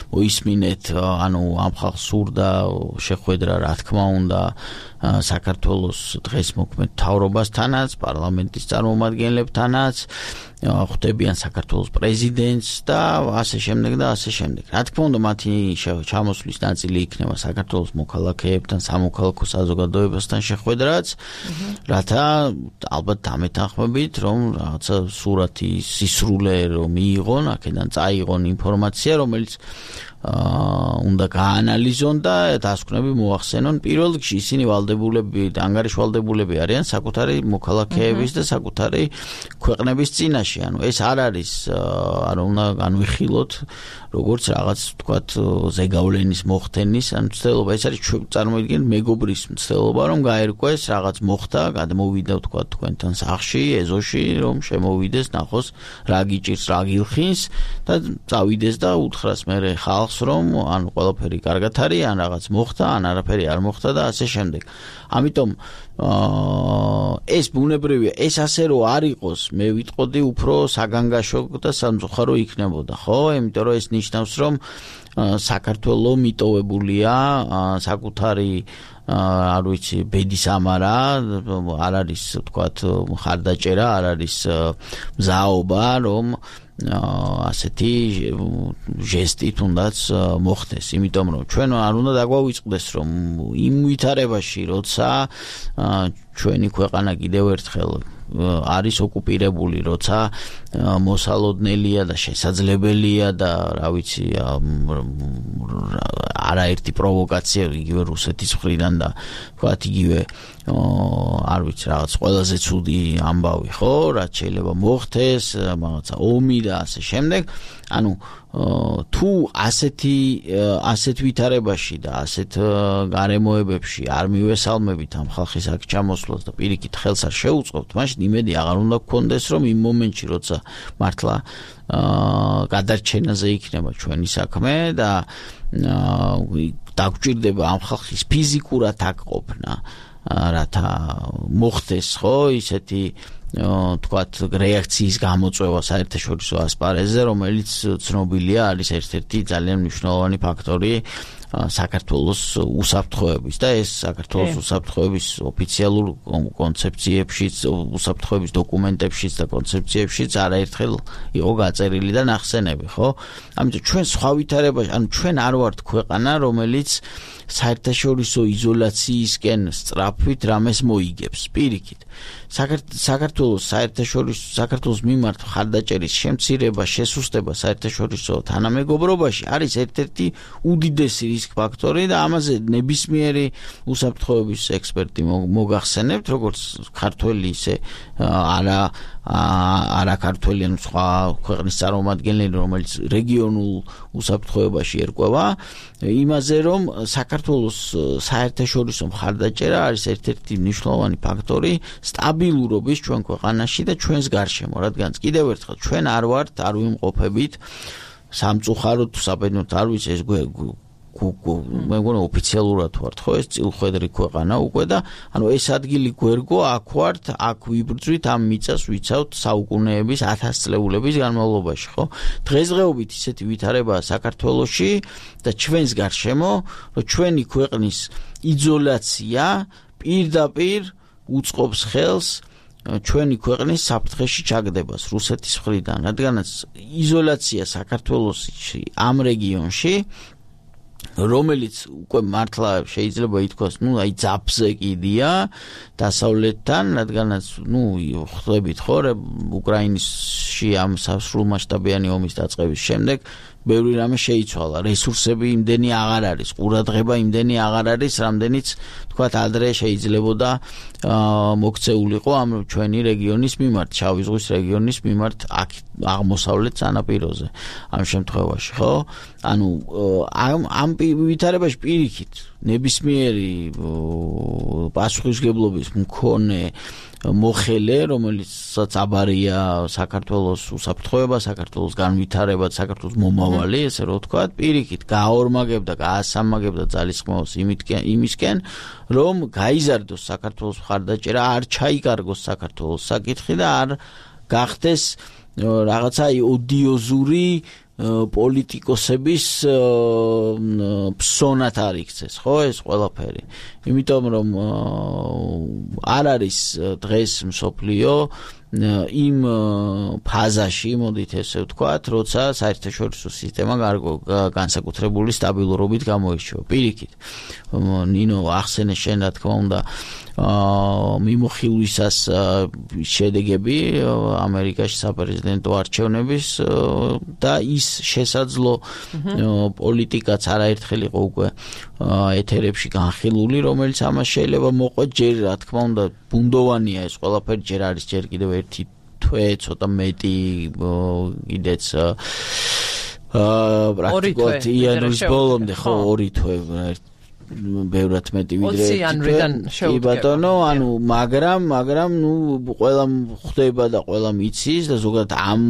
მოისმინეთ, ანუ ამ ხალხს სურდა შეხვედრა, რა თქმა უნდა, საქართველოს დღეს მოქმედ მთავრობასთანაც, პარლამენტის წარმომადგენლებთანაც, ხვდებიან საქართველოს პრეზიდენტს და ასე შემდეგ და ასე შემდეგ. რა თქმა უნდა, მათი ჩამოსვლის ნაწილი იქნება საქართველოს მოქალაქეებთან, სამოქალაქო საზოგადოებასთან შეხვედრაც, რათა ალბათ დამეთანხმებით, რომ რაღაცა სურათი სისრულე რომ მიიღონ, აქედან წაიღონ ინფორმაცია, რომელიც უნდა გაანალიზონ და დასკვნები მოახსენონ. პირველ რიგში ისინი ვალდებულები, ანგარიშვალდებულები არიან საკუთარი მოქალაქეების და საკუთარი ქვეყნების წინაშე. ანუ ეს არ არის, არ უნდა განვიხილოთ როგორც რაღაც თქვათ ზეგავლენის მოხდენის ან მცდელობა. ეს არის წარმოიდგინეთ მეგობრის მცდელობა, რომ გაერკვეს რაღაც მოხდა, გადმოვიდა თქვათ თქვენთან სახლში, ეზოში, რომ შემოვიდეს, ნახოს რა გიჭირს, რა გილხინს და წავიდეს და უთხრას მერე ხალხს, რომ ან ყველაფერი კარგად არის, ან რაღაც მოხდა, ან არაფერი არ მოხდა და ასე შემდეგ. ამიტომ ეს ბუნებრივია, ეს ასე რომ არ იყოს, მე ვიტყოდი უფრო საგანგაშო და სამწუხარო იქნებოდა, ხო? იმიტომ რომ ეს ნიშნავს, რომ საქართველო მიტოვებულია საკუთარი არ ვიცი, ბედის ამარა, არ არის თქვათ ხარდაჭერა, არ არის მზაობა, რომ ასეთი ჟესტი თუნდაც მოხდეს, იმიტომ რომ ჩვენ არ უნდა დაგვავიწყდეს, რომ იმ ვითარებაში, როცა ჩვენი ქვეყანა კიდევ ერთხელ არის ოკუპირებული, როცა მოსალოდნელია და შესაძლებელია და რა ვიცი არაერთი პროვოკაცია იგივე რუსეთის მხრიდან და თქვათ იგივე არ ვიცი რაღაც ყველაზე ცუდი ამბავი, ხო, რაც შეიძლება მოხდეს, რაღაცა ომი და ასე შემდეგ. ანუ თუ ასეთი ასეთ ვითარებაში და ასეთ გარემოებებში არ მივესალმებით ამ ხალხის აქ ჩამოსვლას და პირიქით ხელს არ შეუწყობთ, მაშინ იმედი აღარ უნდა გქონდეს, რომ იმ მომენტში, როცა მართლა გადარჩენაზე იქნება ჩვენი საქმე და დაგვჭირდება ამ ხალხის ფიზიკურად აქ ყოფნა, რათა მოხდეს, ხო, ისეთი თქვათ რეაქციის გამოწვევა საერთაშორისო ასპარეზზე, რომელიც ცნობილია არის ერთ-ერთი ძალიან მნიშვნელოვანი ფაქტორი საქართველოს უსაფრთხოების და ეს საქართველოს უსაფრთხოების ოფიციალურ კონცეფციებშიც, უსაფრთხოების დოკუმენტებშიც და კონცეფციებშიც არაერთხელ იყო გაწერილი და ნახსენები, ხო? ამიტომ ჩვენ სხვა ვითარებაში, ანუ ჩვენ არ ვართ ქვეყანა, რომელიც საერთაშორისო იზოლაციისკენ სწრაფვით რამეს მოიგებს, პირიქით. საქართველოს საერთაშორისო საქართველოს მიმართ ხარდაჭერის შემცირება, შესუსტება საერთაშორისო თანამეგობრობაში არის ერთ-ერთი უდიდესი რისკ ფაქტორი და ამაზე ნებისმიერი უსაფრთხოების ექსპერტი მოგახსენებთ, როგორც ქართველი, ისე არა არა ქართველი, ან სხვა ქვეყნის წარმომადგენელი, რომელიც რეგიონულ უსაფრთხოებაში ერკვევა, იმაზე, რომ საქართველოს საერთაშორისო მხარდაჭერა არის ერთ-ერთი მნიშვნელოვანი ფაქტორი სტაბილურობის ჩვენ ქვეყანაში და ჩვენს გარშემო, რადგან კიდევ ერთხელ ჩვენ არ ვართ, არ ვიმყოფებით სამწუხაროდ საბედნოდ არ ვიცი ეს მე მგონი ოფიციალურად ვართ, ხო, ეს წილხვედრი ქვეყანა უკვე და ანუ ეს ადგილი გვერგო აქ ვართ, აქ ვიბრძვით ამ მიწას ვიცავთ საუკუნეების ათასწლეულების განმავლობაში, ხო? დღესდღეობით ისეთი ვითარებაა საქართველოში და ჩვენს გარშემო, რომ ჩვენი ქვეყნის იზოლაცია პირდაპირ უწყობს ხელს ჩვენი ქვეყნის საფრთხეში ჩაგდებას რუსეთის მხრიდან, რადგანაც იზოლაცია საქართველოში ამ რეგიონში, რომელიც უკვე მართლა შეიძლება ითქვას, ну, აი ძაფზე კიდია დასავლეთთან, რადგანაც, ну, ხვდებით ხო, უკრაინაში ამ სრულმასშტაბიანი ომის დაწყების შემდეგ ბევრი რამე შეიცვალა, რესურსები იმდენი აღარ არის, ყურადღება იმდენი აღარ არის, რამდენიც თქვათ ადრე შეიძლებოდა მოქცეულიყო ამ ჩვენი რეგიონის მიმართ, შავი ზღვის რეგიონის მიმართ აქ აღმოსავლეთ სანაპიროზე ამ შემთხვევაში, ხო? ანუ ამ ამ ვითარებაში პირიქით ნებისმიერი პასუხისმგებლობის მქონე მოხელე, რომელიცაც აბარია საქართველოს უსაფრთხოება, საქართველოს განვითარება, საქართველოს მომავალი მრავალი, ესე რომ ვთქვათ, პირიქით გაორმაგებდა, გაასამაგებდა ძალისხმევას იმისკენ, რომ გაიზარდოს საქართველოს მხარდაჭერა, არ ჩაიკარგოს საქართველოს საკითხი და არ გახდეს რაღაცა ოდიოზური პოლიტიკოსების ფსონად არ იქცეს, ხო, ეს ყველაფერი. იმიტომ რომ არ არის დღეს მსოფლიო იმ ფაზაში, მოდით ესე ვთქვათ, როცა საერთაშორისო სისტემა განსაკუთრებული სტაბილურობით გამოირჩევა. პირიქით, ნინო ახსენე შენ რა თქმა უნდა მიმოხილვისას შედეგები ამერიკაში საპრეზიდენტო არჩევნების და ის შესაძლო პოლიტიკაც არაერთხელ იყო უკვე ეთერებში განხილული, რომელიც ამას შეიძლება მოყვეთ ჯერ რა თქმა უნდა ბუნდოვანია ეს ყველაფერი, ჯერ არის ჯერ კიდევ ერთი თვე, ცოტა მეტი კიდეც პრაქტიკულად იანვრის ბოლომდე ხო ორი თვე ბევრად მეტი ვიდრე ოცი ბატონო, ანუ მაგრამ მაგრამ ნუ ყველა ხვდება და ყველა მიცის და ზოგადად ამ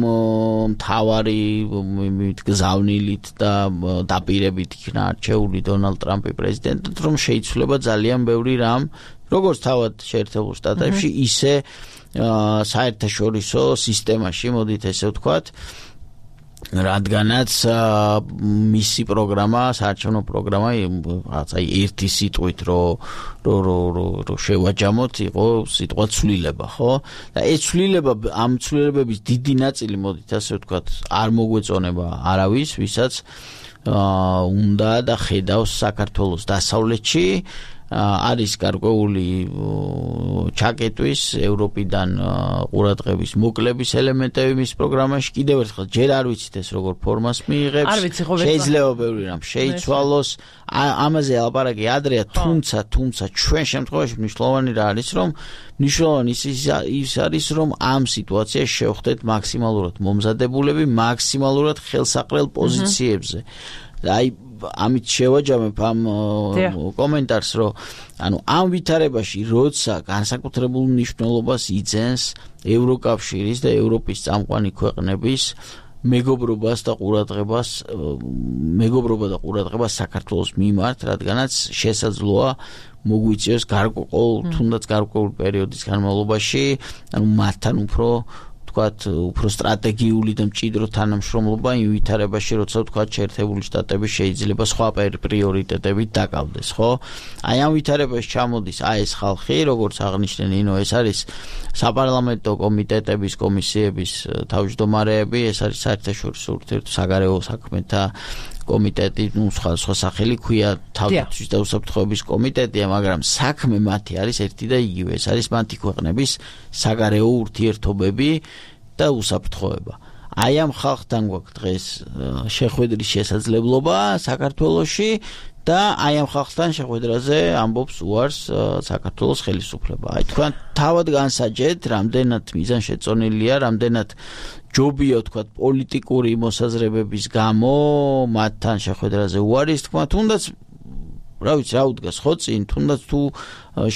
მთავარი გზავნილით და დაპირებით იქნა არჩეული დონალდ ტრამპი პრეზიდენტად, რომ შეიცვლება ძალიან ბევრი რამ, როგორც თავად შეერთებულ შტატებში, ისე საერთაშორისო სისტემაში, მოდით ესე ვთქვათ, რადგანაც მისი პროგრამა, საარჩევნო პროგრამა, რაღაცა ერთი სიტყვით რო რო რო შევაჯამოთ, იყო სიტყვა ცვლილება, ხო? და ეს ცვლილება, ამ ცვლილებების დიდი ნაწილი, მოდით ასე ვთქვათ, არ მოგვეწონება არავის, ვისაც უნდა და ხედავს საქართველოს დასავლეთში, არის გარკვეული ჩაკეტვის ევროპიდან ყურადღების მოკლების ელემენტები მის პროგრამაში. კიდევ ერთხელ ჯერ არ ვიცით ეს როგორ ფორმას მიიღებს, შეიძლება ბევრი რამ შეიცვალოს, ამაზე ელაპარაკი ადრეა, თუმცა თუმცა ჩვენ შემთხვევაში მნიშვნელოვანი რა არის, რომ მნიშვნელოვანი ის არის, რომ ამ სიტუაციაში შევხვდეთ მაქსიმალურად მომზადებულები, მაქსიმალურად ხელსაყრელ პოზიციებზე. აი ამით შევაჯამებ ამ კომენტარს, რომ ანუ ამ ვითარებაში როცა განსაკუთრებულ მნიშვნელობას იძენს ევროკავშირის და ევროპის წამყვანი ქვეყნების მეგობრობას და ყურადღებას მეგობრობა და ყურადღება საქართველოს მიმართ, რადგანაც შესაძლოა მოგვიწევს გარკვეულ თუნდაც გარკვეულ პერიოდის განმავლობაში, ანუ მათთან უფრო ვთქვათ, უფრო სტრატეგიული და მჭიდრო თანამშრომლობა იმ ვითარებაში, როცა ვთქვათ, შეერთებული შტატები შეიძლება სხვა პრიორიტეტებით დაკავდეს, ხო? აი ამ ვითარებაში ჩამოდის აი ეს ხალხი, როგორც აღნიშნე ნინო, ეს არის საპარლამენტო კომიტეტების, კომისიების თავმჯდომარეები, ეს არის საერთაშორისო ურთიერთობათა საგარეო საქმეთა კომიტეტი, ну, სხვა სხვა სახელი ქვია თავდაცვის და უსაფრთხოების კომიტეტია, მაგრამ საქმე მათი არის ერთი და იგივე, ეს არის მათი ქვეყნების საგარეო ურთიერთობები და უსაფრთხოება. აი ამ ხალხთან გვაქვს დღეს შეხვედრის შესაძლებლობა საქართველოში და აი ამ ხალხთან შეხვედრაზე ამბობს უარს საქართველოს ხელისუფლება. აი თქვენ თავად განსაჯეთ, რამდენად მიზანშეწონილია, რამდენად ჯობია ვთქვათ პოლიტიკური მოსაზრებების გამო მათთან შეხვედრაზე უარის თქვა, თუნდაც რა ვიცი, რა უდგას ხო წინ, თუნდაც თუ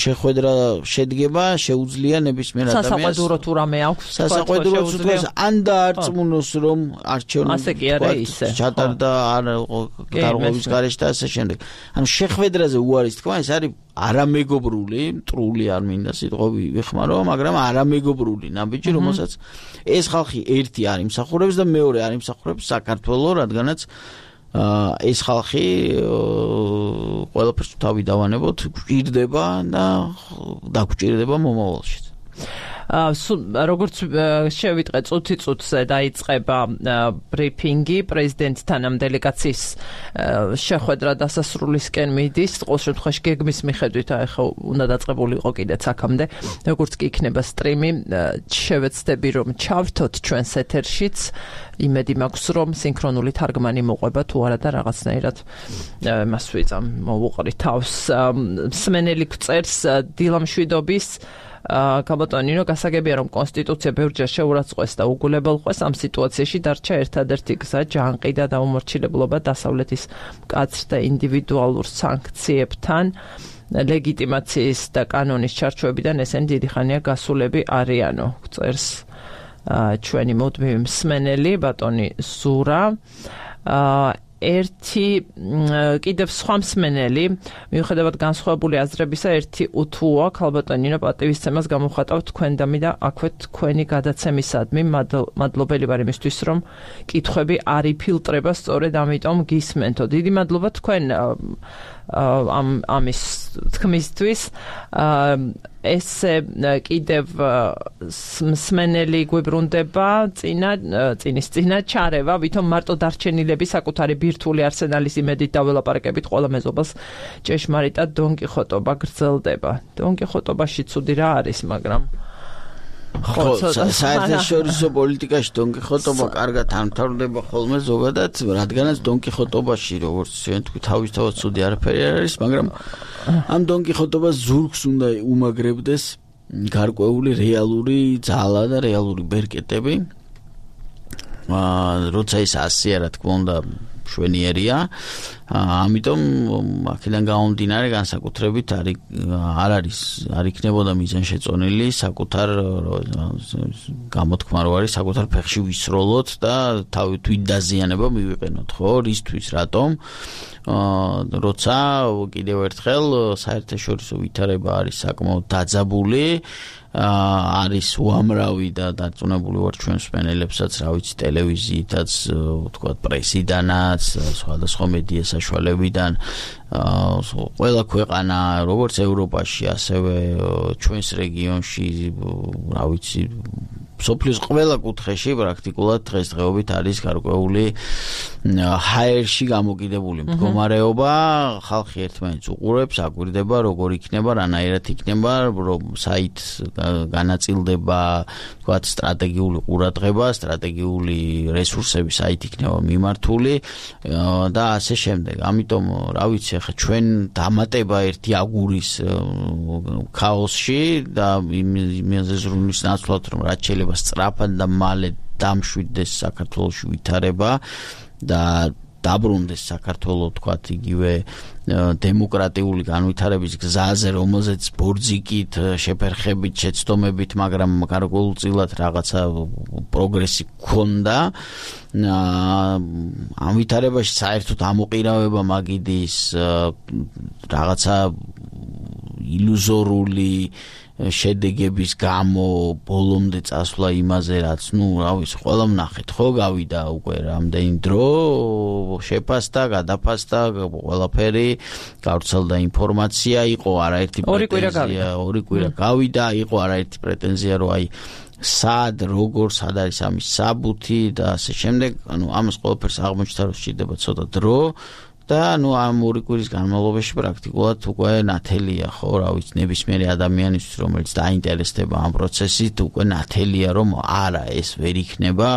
შეხვედრა შედგება, შეუძლია ნებისმიერ ადამიანს სასაყვედურო თუ რამე აქვს, სასაყვედურო თუნდაც ან დაარწმუნოს, რომ არჩევნები ჩატარდა არ გარღვევის გარეშე და ასე შემდეგ. ანუ შეხვედრაზე უარის თქვა, ეს არის არამეგობრული, მტრული არ მინდა სიტყვები ვიხმარო, მაგრამ არამეგობრული ნაბიჯი, რომელსაც ეს ხალხი ერთი არ იმსახურებს და მეორე არ იმსახურებს საქართველოს, რადგანაც ეს ხალხი ყველაფერს თავი დავანებოთ, გვჭირდება და დაგჭირდება მომავალში. როგორც შევიტყე წუთი წუთზე დაიწყება ბრიფინგი პრეზიდენტთან ამ დელეგაციის შეხვედრა დასასრულისკენ მიდის, ყოველ შემთხვევაში გეგმის მიხედვით ახლა უნდა დაწყებულიყო კიდეც აქამდე, როგორც კი იქნება სტრიმი, შევეცდები რომ ჩავრთოთ ჩვენს ეთერშიც, იმედი მაქვს რომ სინქრონული თარგმანი მოყვება თუ არა და რაღაცნაირად მას ვიწამ მოვუყრი თავს. მსმენელი გწერს დილამშვიდობის გაბატონინო, გასაგებია რომ კონსტიტუცია ბევრჯერ შეურაცხყვეს და უგულებელყვეს, ამ სიტუაციაში დარჩა ერთადერთი გზა ჯანყი და დაუმორჩილებლობა დასავლეთის მკაცრ და ინდივიდუალურ სანქციებთან, ლეგიტიმაციის და კანონის ჩარჩოებიდან ესენი დიდი ხანია გასულები არიანო, გწერს ჩვენი მუდმივი მსმენელი ბატონი ზურა. ერთი კიდევ სხვა მსმენელი მიუხედავად განსხვავებული აზრებისა ერთი უთუა ქალბატონ ნინო პატივისცემას გამოხატავთ თქვენდამი და აქვე თქვენი გადაცემისადმი მადლობელი ვარ იმისთვის რომ კითხვები არ იფილტრება სწორედ ამიტომ გისმენთო დიდი მადლობა თქვენ ამ ამის თქმისთვის ესე კიდევ მსმენელი გვიბრუნდება წინა წინის წინა ჩარევა ვითომ მარტო დარჩენილები საკუთარი ბირთვული არსენალის იმედით დაველაპარაკებით ყველა მეზობას ჭეშმარიტად დონკიხოტობა გრძელდება დონკიხოტობაში ცუდი რა არის მაგრამ ხო საერთაშორისო პოლიტიკაში დონკიხოტობა კარგად ამთავრდება ხოლმე ზოგადად რადგანაც დონკიხოტობაში როგორც ჩვენ თქვი თავისთავად ცუდი არაფერი არ არის მაგრამ ამ დონკიხოტობას ზურგს უნდა უმაგრებდეს გარკვეული რეალური ძალა და რეალური ბერკეტები როცა ის ასია რა თქმა უნდა შვენიერია ამიტომ აქედან გამომდინარე განსაკუთრებით არ არ არის არ იქნებოდა მიზანშეწონილი საკუთარ გამოთქმა რო არის საკუთარ ფეხში ვისროლოთ და თავი თვითდაზიანება მივიყენოთ ხო რისთვის რატომ როცა კიდევ ერთხელ საერთაშორისო ვითარება არის საკმაოდ დაძაბული არის უამრავი და დარწმუნებული ვარ ჩვენ მსმენელებსაც რა ვიცი ტელევიზიითაც ვთქვათ პრესიდანაც სხვადასხვა მედია საშუალებიდან ყველა ქვეყანა როგორც ევროპაში ასევე ჩვენს რეგიონში რა ვიცი სოფლის ყველა კუთხეში პრაქტიკულად დღესდღეობით არის გარკვეული ჰაერში გამოკიდებული მდგომარეობა ხალხი ერთმანეთს უყურებს აკვირდება როგორ იქნება რანაირად იქნება რომ საით განაწილდება თქვათ სტრატეგიული ყურადღება სტრატეგიული რესურსები საით იქნება მიმართული და ასე შემდეგ ამიტომ რა ვიცი ახლა ჩვენ დამატება ერთი აგურის ქაოსში და იმაზე ზრუნვის ნაცვლად რომ რაც შეიძლება სწრაფად და მალე დამშვიდდეს საქართველოში ვითარება და დაბრუნდეს საქართველო თქვათ იგივე დემოკრატიული განვითარების გზაზე რომელზეც ბორძიკით შეფერხებით შეცდომებით მაგრამ გარკვეულწილად რაღაცა პროგრესი გქონდა ამ ვითარებაში საერთოდ ამოყირავება მაგიდის რაღაცა ილუზორული შედეგების გამო ბოლომდე წასვლა იმაზე რაც ნუ რა ვიცი ყველა ვნახეთ ხო გავიდა უკვე რამდენი დრო შეფასდა გადაფასდა ყველაფერი გავრცელდა ინფორმაცია იყო არაერთი პრეტენზია ორი კვირა გავიდა იყო არაერთი პრეტენზია რომ აი სად როგორ სად არის ამის საბუთი და ასე შემდეგ ანუ ამას ყველაფერს აღმოჩნდა რომ სჭირდება ცოტა დრო და ნუ ამ ორი კვირის განმავლობაში პრაქტიკულად უკვე ნათელია ხო რა ვიცი ნებისმიერი ადამიანისთვის რომელიც დაინტერესდება ამ პროცესით უკვე ნათელია რომ არა ეს ვერ იქნება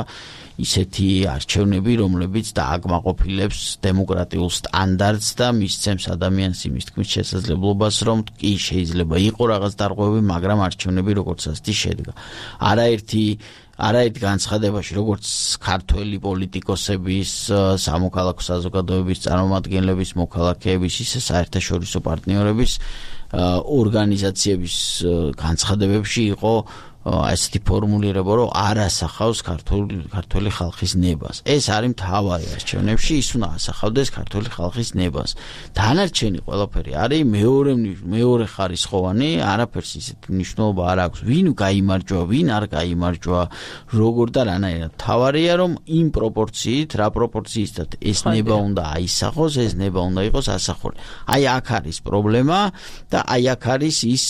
ისეთი არჩევნები რომლებიც დააკმაყოფილებს დემოკრატიულ სტანდარტს და მისცემს ადამიანს იმის თქმის შესაძლებლობას რომ კი შეიძლება იყო რაღაც დარღვევები მაგრამ არჩევნები როგორც ასეთი შედგა არაერთი არაერთ განცხადებაში როგორც ქართველი პოლიტიკოსების სამოქალაქო საზოგადოების წარმომადგენლების მოქალაქეების ისე საერთაშორისო პარტნიორების ორგანიზაციების განცხადებებში იყო ასეთი ფორმულირება რომ არ ასახავს ქართული ქართული ხალხის ნებას ეს არის მთავარი არჩევნებში ის უნდა ასახავდეს ქართული ხალხის ნებას დანარჩენი ყველაფერი არის მეორე მეორე ხარისხოვანი არაფერს ისეთი მნიშვნელობა არ აქვს ვინ გაიმარჯვა ვინ არ გაიმარჯვა როგორ და რანაირად მთავარია რომ იმ პროპორციით რა პროპორციისთან ეს ნება უნდა აისახოს ეს ნება უნდა იყოს ასახული აი აქ არის პრობლემა და აი აქ არის ის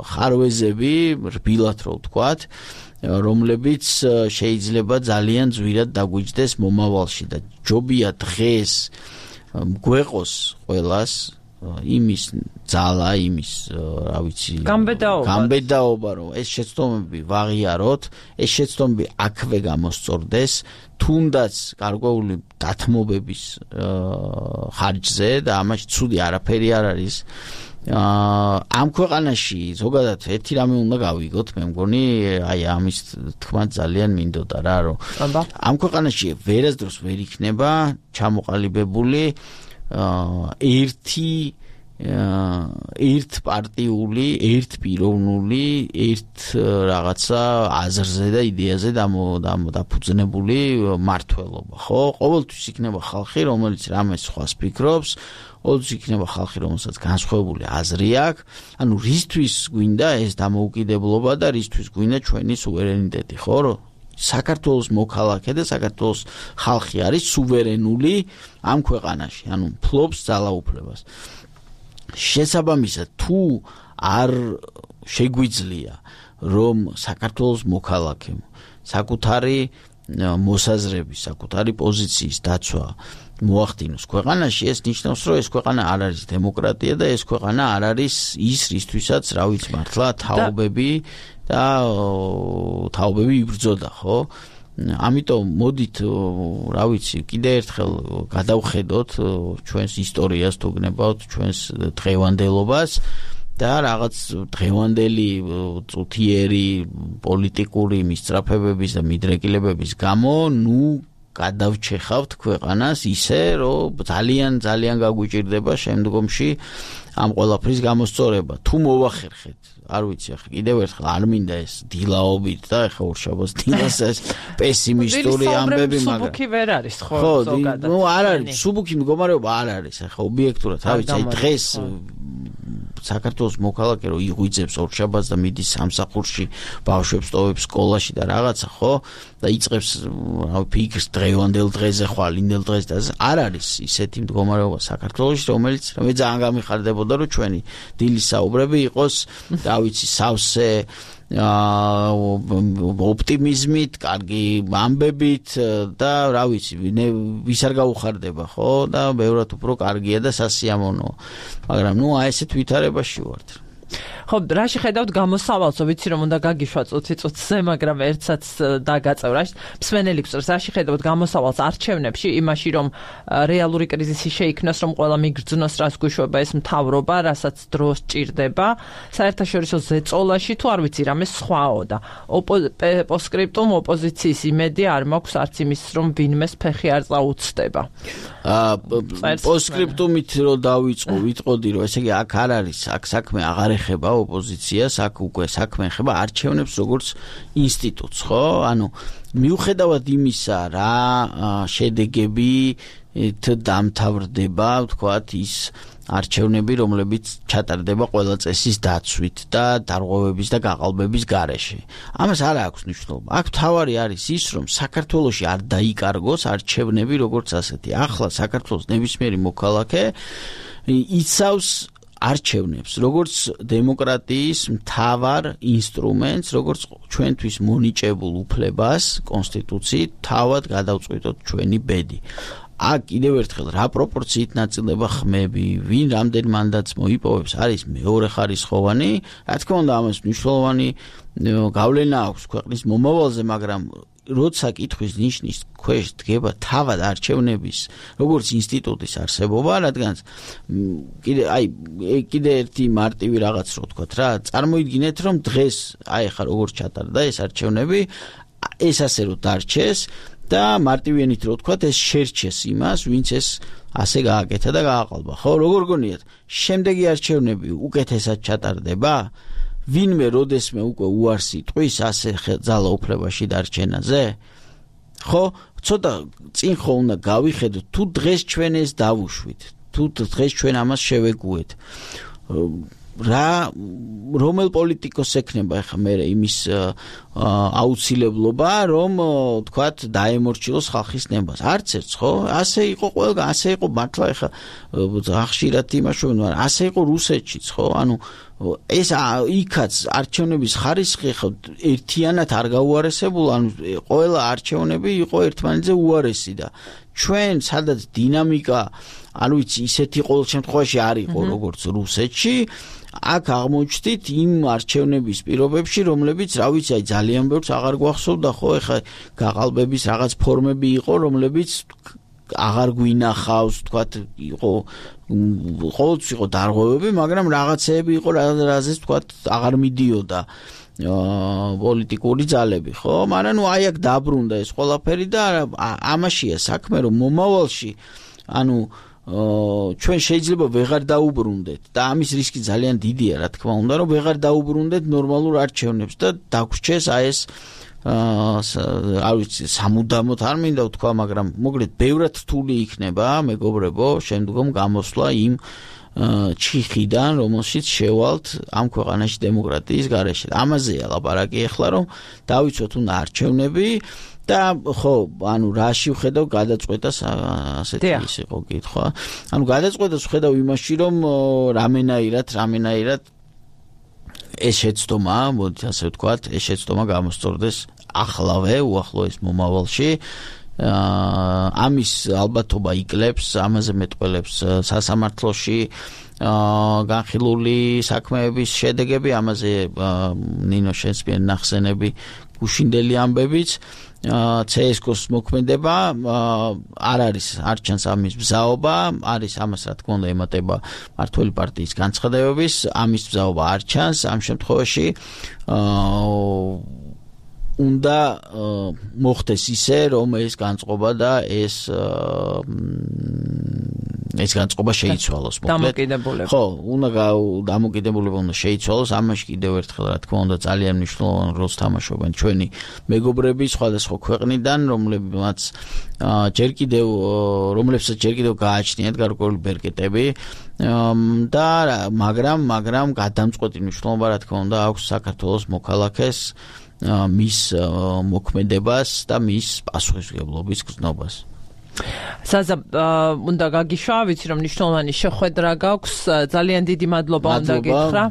ხარვეზები რბილად რო ვთქვათ რომლებიც შეიძლება ძალიან ძვირად დაგვიჯდეს მომავალში და ჯობია დღეს გვეყოს ყველას იმის ძალა იმის რა ვიცი გამბედაობა რომ ეს შეცდომები ვაღიაროთ ეს შეცდომები აქვე გამოსწორდეს თუნდაც გარკვეული დათმობების ხარჯზე და ამაში ცუდი არაფერი არ არის ამ ქვეყანაში ზოგადად ერთი რამე უნდა გავიგოთ მე მგონი აი ამის თქმა ძალიან მინდოდა რა რომ ამ ქვეყანაში ვერასდროს ვერ იქნება ჩამოყალიბებული ერთი ერთპარტიული, ერთპიროვნული, ერთ რაღაცა აზრზე და იდეაზე დაფუძნებული მმართველობა, ხო? ყოველთვის იქნება ხალხი, რომელიც რამეს სხვას ფიქრობს, ყოველთვის იქნება ხალხი, რომელსაც განსხვავებული აზრი აქვს. ანუ რისთვის გვინდა ეს დამოუკიდებლობა და რისთვის გვინდა ჩვენი სუვერენიტეტი, ხო? საქართველოს მოქალაქე და საქართველოს ხალხი არის სუვერენული ამ ქვეყანაში, ანუ ფლობს ძალაუფლებას. შესაბამისად, თუ არ შეგვიძლია, რომ საქართველოს მოქალაქემ საკუთარი მოსაზრების, საკუთარი პოზიციის დაცვა მოახდინოს ქვეყანაში, ეს ნიშნავს, რომ ეს ქვეყანა არ არის დემოკრატია და ეს ქვეყანა არ არის ის, რისთვისაც, რა ვიცი, მართლა თაობები და თაობები იბრძოდა, ხო? ამიტომ მოდით, რა ვიცი, კიდე ერთხელ გადავხედოთ ჩვენს ისტორიას, თუ გნებავთ ჩვენს დღევანდელობას და რაღაც დღევანდელი წუთიერი პოლიტიკური მისწრაფებების და მიდრეკილებების გამო, ნუ გადავჩეხავთ ქვეყანას ისე, რომ ძალიან ძალიან გაგვიჭირდება შემდგომში ამ ყველაფრის გამოსწორება. თუ მოვახერხეთ, არ ვიცი, ახლა კიდევ ერთხელ არ მინდა ეს დილაობით და ახლა ორშაბათს დილას ეს პესიმისტური ამბები, მაგრამ სუბუქი ვერ არის, ხო, ზოგადად. ნუ არ არის, სუბუქი მდგომარეობა არ არის, ახლა ობიექტურად, რა ვიცი, დღეს საქართველოს მოქალაქე რო იღვიძებს ორშაბათს და მიდის სამსახურში, ბავშვებს ტოვებს სკოლაში და რაღაცა, ხო? და იწყებს რა ფიქრს დღევანდელ დღეზე ხვალ, ინდელ დღეს და არ არის ისეთი მდგომარეობა საქართველოში, რომელიც მე ძალიან გამიხარდებოდა, რომ ჩვენი დილის საუბრები იყოს, რა ვიცი, სავსე ოპტიმიზმით, კარგი ამბებით და რა ვიცი, ვის არ გაუხარდება, ხო? და ბევრად უფრო კარგია და სასიამოვნოა. მაგრამ ნუ აი ესეთ ვითარებაში ვართ. ხო, რა შეხედავთ გამოსავალს, ვიცი რომ უნდა გაგიშვა წუთი წუთზე, მაგრამ ერთსაც დაგაწევრა. მსმენელი გწევს, რა შეხედავთ გამოსავალს არჩევნებში, იმაში რომ რეალური კრიზისი შეიქმნას, რომ ყველა მიგრძნოს, რას გვიშვება ეს მთავრობა, რასაც დრო სჭირდება, საერთაშორისო ზეწოლაში თუ არ ვიცი, რამე სხვაო და პოსტსკრიპტუმ ოპოზიციის იმედი არ მაქვს არც იმის, რომ ვინმეს ფეხი არ წაუწდება. პოსტსკრიპტუმით რო დავიწყო, ვიტყოდი, რომ ესე იგი აქ არ არის, აქ საქმე აღარ ეხება ოპოზიციას, აქ უკვე საქმე ეხება არჩევნებს როგორც ინსტიტუტს, ხო? ანუ მიუხედავად იმისა, რა შედეგები დამთავრდება, ვთქვათ, ის არჩევნები, რომლებიც ჩატარდება ყველა წესის დაცვით და დარღვევების და გაყალბების გარეშე. ამას არ აქვს მნიშვნელობა. აქ თავარი არის ის, რომ საქართველოში არ დაიკარგოს არჩევნები როგორც ასეთი. ახლა საქართველოს ნებისმიერი მოქალაქე იცავს არჩევნებს, როგორც დემოკრატიის მთავარ ინსტრუმენტს, როგორც ჩვენთვის მონიჭებულ უფლებას კონსტიტუციით თავად გადავწყვიტოთ ჩვენი ბედი. აქ კიდევ ერთხელ რა პროპორციით ნაწილდება ხმები, ვინ რამდენ მანდატს მოიპოვებს, არის მეორე ხარისხოვანი, რა თქმა უნდა ამას მნიშვნელოვანი გავლენა აქვს ქვეყნის მომავალზე, მაგრამ როცა კითხვის ნიშნის ქვეშ დგება თავად არჩევნების როგორც ინსტიტუტის არსებობა, რადგან კიდე აი კიდე ერთი მარტივი რაღაც რო ვთქვათ რა, წარმოიდგინეთ რომ დღეს აი ხა როგორც ჩატარდა ეს არჩევნები, ეს ასე რო დარჩეს და მარტივიანით რო ვთქვათ ეს შერჩეს იმას, ვინც ეს ასე გააკეთა და გააყალბა. ხო, როგორ გონიათ, შემდეგი არჩევნები უკეთესად ჩატარდება? ვინმე როდესმე უკვე უარს იტყვის ასე ძალაუფლებაში დარჩენაზე? ხო, ცოტა წინ ხო უნდა გავიხედოთ, თუ დღეს ჩვენ ეს დავუშვით, თუ დღეს ჩვენ ამას შევეგუეთ. რა რომელ პოლიტიკოს ექნება ახლა მე იმის აუცილებლობა, რომ თქვათ დაემორჩილოს ხალხის ნებას. არც ერთს, ხო? ასე იყო ყველგან, ასე იყო მართლა ახლა ახშირად იმაშოვენ, მაგრამ ასე იყო რუსეთშიც, ხო? ანუ ეს იქაც არჩევნების ხარისხი ხო ერთიანად არ გაუარესებულა, ანუ ყველა არჩევნები იყო ერთმანეთზე უარესი და ჩვენ სადაც დინამიკა, არ ვიცი, ისეთი ყოველ შემთხვევაში არ იყო როგორც რუსეთში, აქ აღმოჩნდით იმ არჩევნების პირობებში, რომლებიც, რა ვიცი, აი ძალიან ბევრს აღარ გვახსოვდა, ხო, ეხა გაყალბების რაღაც ფორმები იყო, რომლებიც აღარ გვინახავს, თქვათ, იყო ყოველთვის იყო დარღვევები, მაგრამ რაღაცეები იყო, რაზეც თქვათ, აღარ მიდიოდა პოლიტიკური ძალები, ხო? მაგრამ ნუ აი აქ დაბრუნდა ეს ყველაფერი და ამაშია საქმე, რომ მომავალში, ანუ ჩვენ შეიძლება ვეღარ დაუბრუნდეთ და ამის რისკი ძალიან დიდია, რა თქმა უნდა, რომ ვეღარ დაუბრუნდეთ ნორმალურ არჩევნებს და დაგვრჩეს აი ეს არ ვიცი სამუდამოდ არ მინდა ვთქვა, მაგრამ მოკლედ ბევრად რთული იქნება, მეგობრებო, შემდგომ გამოსვლა იმ ჩიხიდან, რომელშიც შევალთ ამ ქვეყანაში დემოკრატიის გარეშე. ამაზეა ლაპარაკი ახლა, რომ დავიცოთ უნდა არჩევნები და ხო, ანუ რაში ვხედავ გადაწყვეტას ასეთი ის იყო კითხვა. ანუ გადაწყვეტას ვხედავ იმაში, რომ რამენაირად, რამენაირად ეს შეცდომა, მოდით ასე ვთქვათ, ეს შეცდომა გამოსწორდეს ახლავე, უახლოეს მომავალში. ამის ალბათობა იკლებს, ამაზე მეტყველებს სასამართლოში განხილული საქმეების შედეგები, ამაზე ნინო შენს მიერ ნახსენები გუშინდელი ამბებიც. ცსკ-ს მოქმედება არ არის არ ჩანს ამის ბზაობა, არის ამას რა თქმა უნდა ემატება მართველი პარტიის განცხადებების, ამის ბზაობა არ ჩანს ამ შემთხვევაში. უნდა მოხდეს ისე, რომ ეს განწყობა და ეს ეს განწყობა შეიცვალოს, მოკლედ. დამოკიდებულება. ხო, უნდა დამოკიდებულება უნდა შეიცვალოს, ამაში კიდევ ერთხელ რა თქმა უნდა ძალიან მნიშვნელოვან როლს თამაშობენ ჩვენი მეგობრები სხვადასხვა ქვეყნიდან, რომლებიც ჯერ კიდევ რომლებსაც ჯერ კიდევ გააჩნიათ გარკვეული ბერკეტები და მაგრამ მაგრამ გადამწყვეტი მნიშვნელობა რა თქმა უნდა აქვს საქართველოს მოქალაქეს მის მოქმედებას და მის პასუხისმგებლობის გზნობას. საზა უნდა გაგიშვა, ვიცი რომ მნიშვნელოვანი შეხვედრა გაქვს, ძალიან დიდი მადლობა უნდა გითხრა.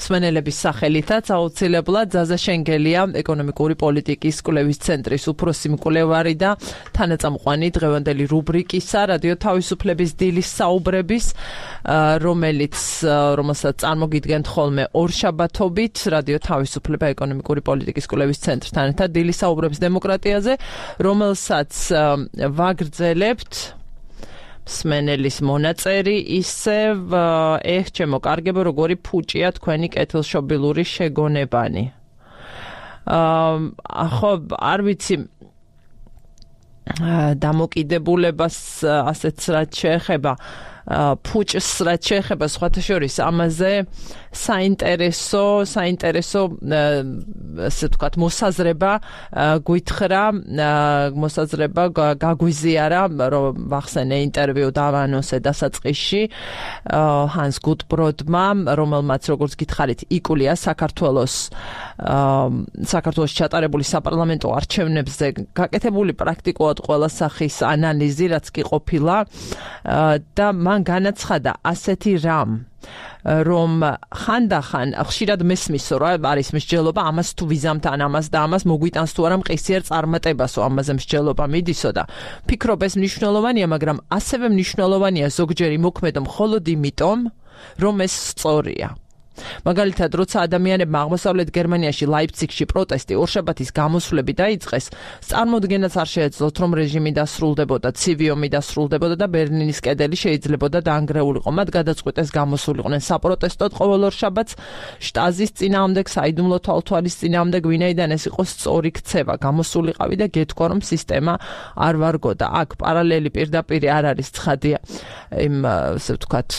მსმენელების სახელითაც აუცილებლად ზაზა შენგელია, ეკონომიკური პოლიტიკის კვლევის ცენტრის უფროსი მკვლევარი და თანაწამყვანი დღევანდელი რუბრიკისა რადიო თავისუფლების დილის საუბრების, რომელიც რომელსაც წარმოგიდგენთ ხოლმე ორშაბათობით რადიო თავისუფლება ეკონომიკური პოლიტიკის კვლევის ცენტრთან ერთად დილის საუბრების დემოკრატიაზე, რომელსაც ვაგრძელებთ მსმენელის მონაწერი ისევ ეხ ჩემო კარგებო როგორი ფუჭია თქვენი კეთილშობილური შეგონებანი. ხო, არ ვიცი დამოკიდებულებას ასეც რაც შეეხება ფუჭს რაც შეეხება სხვათა შორის ამაზე საინტერესო საინტერესო ასე ვთქვათ მოსაზრება გვითხრა მოსაზრება გაგვიზიარა რომ ვახსენე ინტერვიუ დავანონსე დასაწყისში ჰანს გუტბროდმა რომელმაც როგორც გითხარით იკვლია საქართველოს საქართველოს ჩატარებული საპარლამენტო არჩევნებზე გაკეთებული პრაქტიკულად ყველა სახის ანალიზი რაც კი ყოფილა და მან განაცხადა ასეთი რამ რომ ხანდახან ხშირად მესმისო რა არის მსჯელობა ამას თუ ვიზამთ ან ამას და ამას მოგვიტანს თუ არა მყისიერ წარმატებასო ამაზე მსჯელობა მიდისო და ფიქრობ ეს მნიშვნელოვანია მაგრამ ასევე მნიშვნელოვანია ზოგჯერ იმოქმედო მხოლოდ იმიტომ რომ ეს სწორია მაგალითად, როცა ადამიანებმა აღმოსავლეთ გერმანიაში ლაიფციგში პროტესტი ორშაბათის გამოსვლები დაიწყეს, წარმოდგენაც არ შეეძლოთ, რომ რეჟიმი დასრულდებოდა, ცივი ომი დასრულდებოდა და ბერლინის კედელი შეიძლებოდა დაანგრეულიყო. მათ გადაწყვეტეს გამოსულიყვნენ საპროტესტოდ ყოველ ორშაბათს შტაზის წინააღმდეგ, საიდუმლო თვალთვალის წინააღმდეგ, ვინაიდან ეს იყო სწორი ქცევა. გამოსულიყავი და გეთქვა, რომ სისტემა არ ვარგოდა. აქ პარალელი პირდაპირ არ არის ცხადია იმ ასე ვთქვათ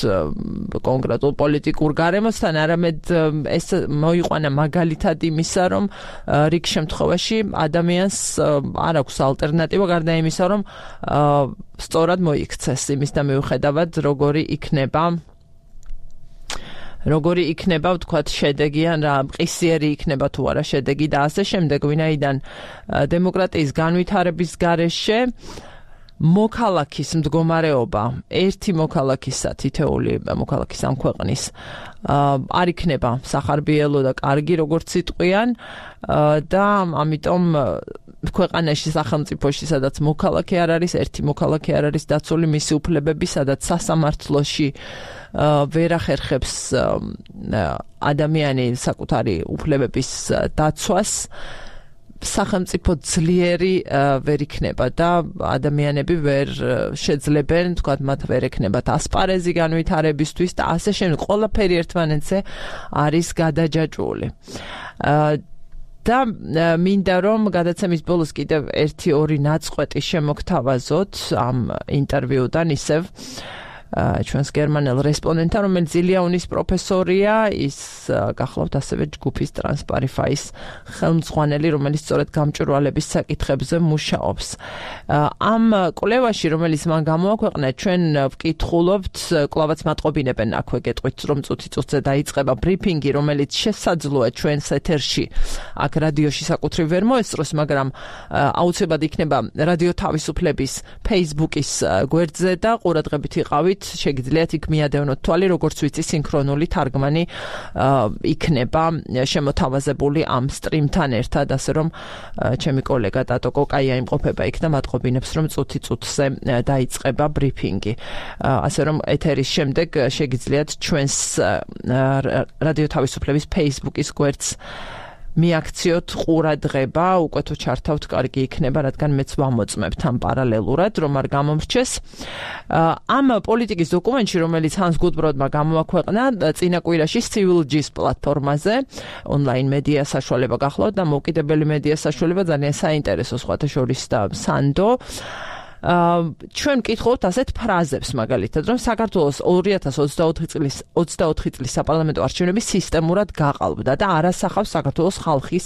კონკრეტულ პოლიტიკურ გარემოსთან არამედ ეს მოიყვანა მაგალითად იმისა, რომ რიგ შემთხვევაში ადამიანს არ აქვს ალტერნატივა გარდა იმისა, რომ სწორად მოიქცეს იმის და მიუხედავად როგორი იქნება როგორი იქნება ვთქვათ შედეგი ან რა მყისიერი იქნება თუ არა შედეგი და ასე შემდეგ, ვინაიდან დემოკრატიის განვითარების გარეშე მოქალაქის მდგომარეობა ერთი მოქალაქისა თითეული მოქალაქის ამ ქვეყნის არ იქნება სახარბიელო და კარგი როგორც იტყვიან და ამიტომ ქვეყანაში სახელმწიფოში სადაც მოქალაქე არ არის ერთი მოქალაქე არ არის დაცული მისი უფლებები სადაც სასამართლოში ვერ ახერხებს ადამიანი საკუთარი უფლებების დაცვას სახელმწიფო ძლიერი ვერ იქნება და ადამიანები ვერ შეძლებენ, თქვათ, მათ ვერ ექნებათ ასპარეზი განვითარებისთვის და ასე შემდეგ. ყველაფერი ერთმანეთზე არის გადაჯაჭვული. და მინდა რომ გადაცემის ბოლოს კიდევ ერთი ორი ნაწყვეტი შემოგთავაზოთ ამ ინტერვიუდან ისევ ჩვენს გერმანელ რესპონდენტთან, რომელიც ილიაუნის პროფესორია, ის გახლავთ ასევე ჯგუფის ტრანსპარიფაის ხელმძღვანელი, რომელიც სწორედ გამჭვირვალების საკითხებზე მუშაობს. ამ კვლევაში, რომელიც მან გამოაქვეყნა, ჩვენ ვკითხულობთ, კლავაც მატყობინებენ აქვე გეტყვით, რომ წუთი წუთზე დაიწყება ბრიფინგი, რომელიც შესაძლოა ჩვენს ეთერში აქ რადიოში საკუთრივ ვერ მოესწროს, მაგრამ აუცილებლად იქნება რადიო თავისუფლების Facebook-ის გვერდზე და ყურადღებით იყავით, შეგიძლიათ იქ მიადევნოთ თვალი, როგორც ვიცი, სინქრონული თარგმანი იქნება შემოთავაზებული ამ სტრიმთან ერთად, ასე რომ ჩემი კოლეგა ტატო კოკაია იმყოფება იქ და მატყობინებს, რომ წუთი წუთზე დაიწყება ბრიფინგი. ასე რომ ეთერის შემდეგ შეგიძლიათ ჩვენს რადიო თავისუფლების Facebook-ის გვერდს მიაქციოთ ყურადღება, უკვე თუ ჩართავთ, კარგი იქნება, რადგან მეც ვამოწმებთ ამ პარალელურად, რომ არ გამომრჩეს. ამ პოლიტიკის დოკუმენტში, რომელიც Hans Gutbrod-მა გამოაქვეყნა წინა კვირაში Civil Gist პლატფორმაზე, ონლაინ მედია საშუალება გახლავთ და მოკიდებელი მედია საშუალება ძალიან საინტერესო, სხვათა შორის და სანდო. ჩვენ ვკითხავთ ასეთ ფრაზებს, მაგალითად, რომ საქართველოს ორი ათას ოცდაოთხი წლის ოცდაოთხი წლის საპარლამენტო არჩევნები სისტემურად გაყალბდა და არ ასახავს საქართველოს ხალხის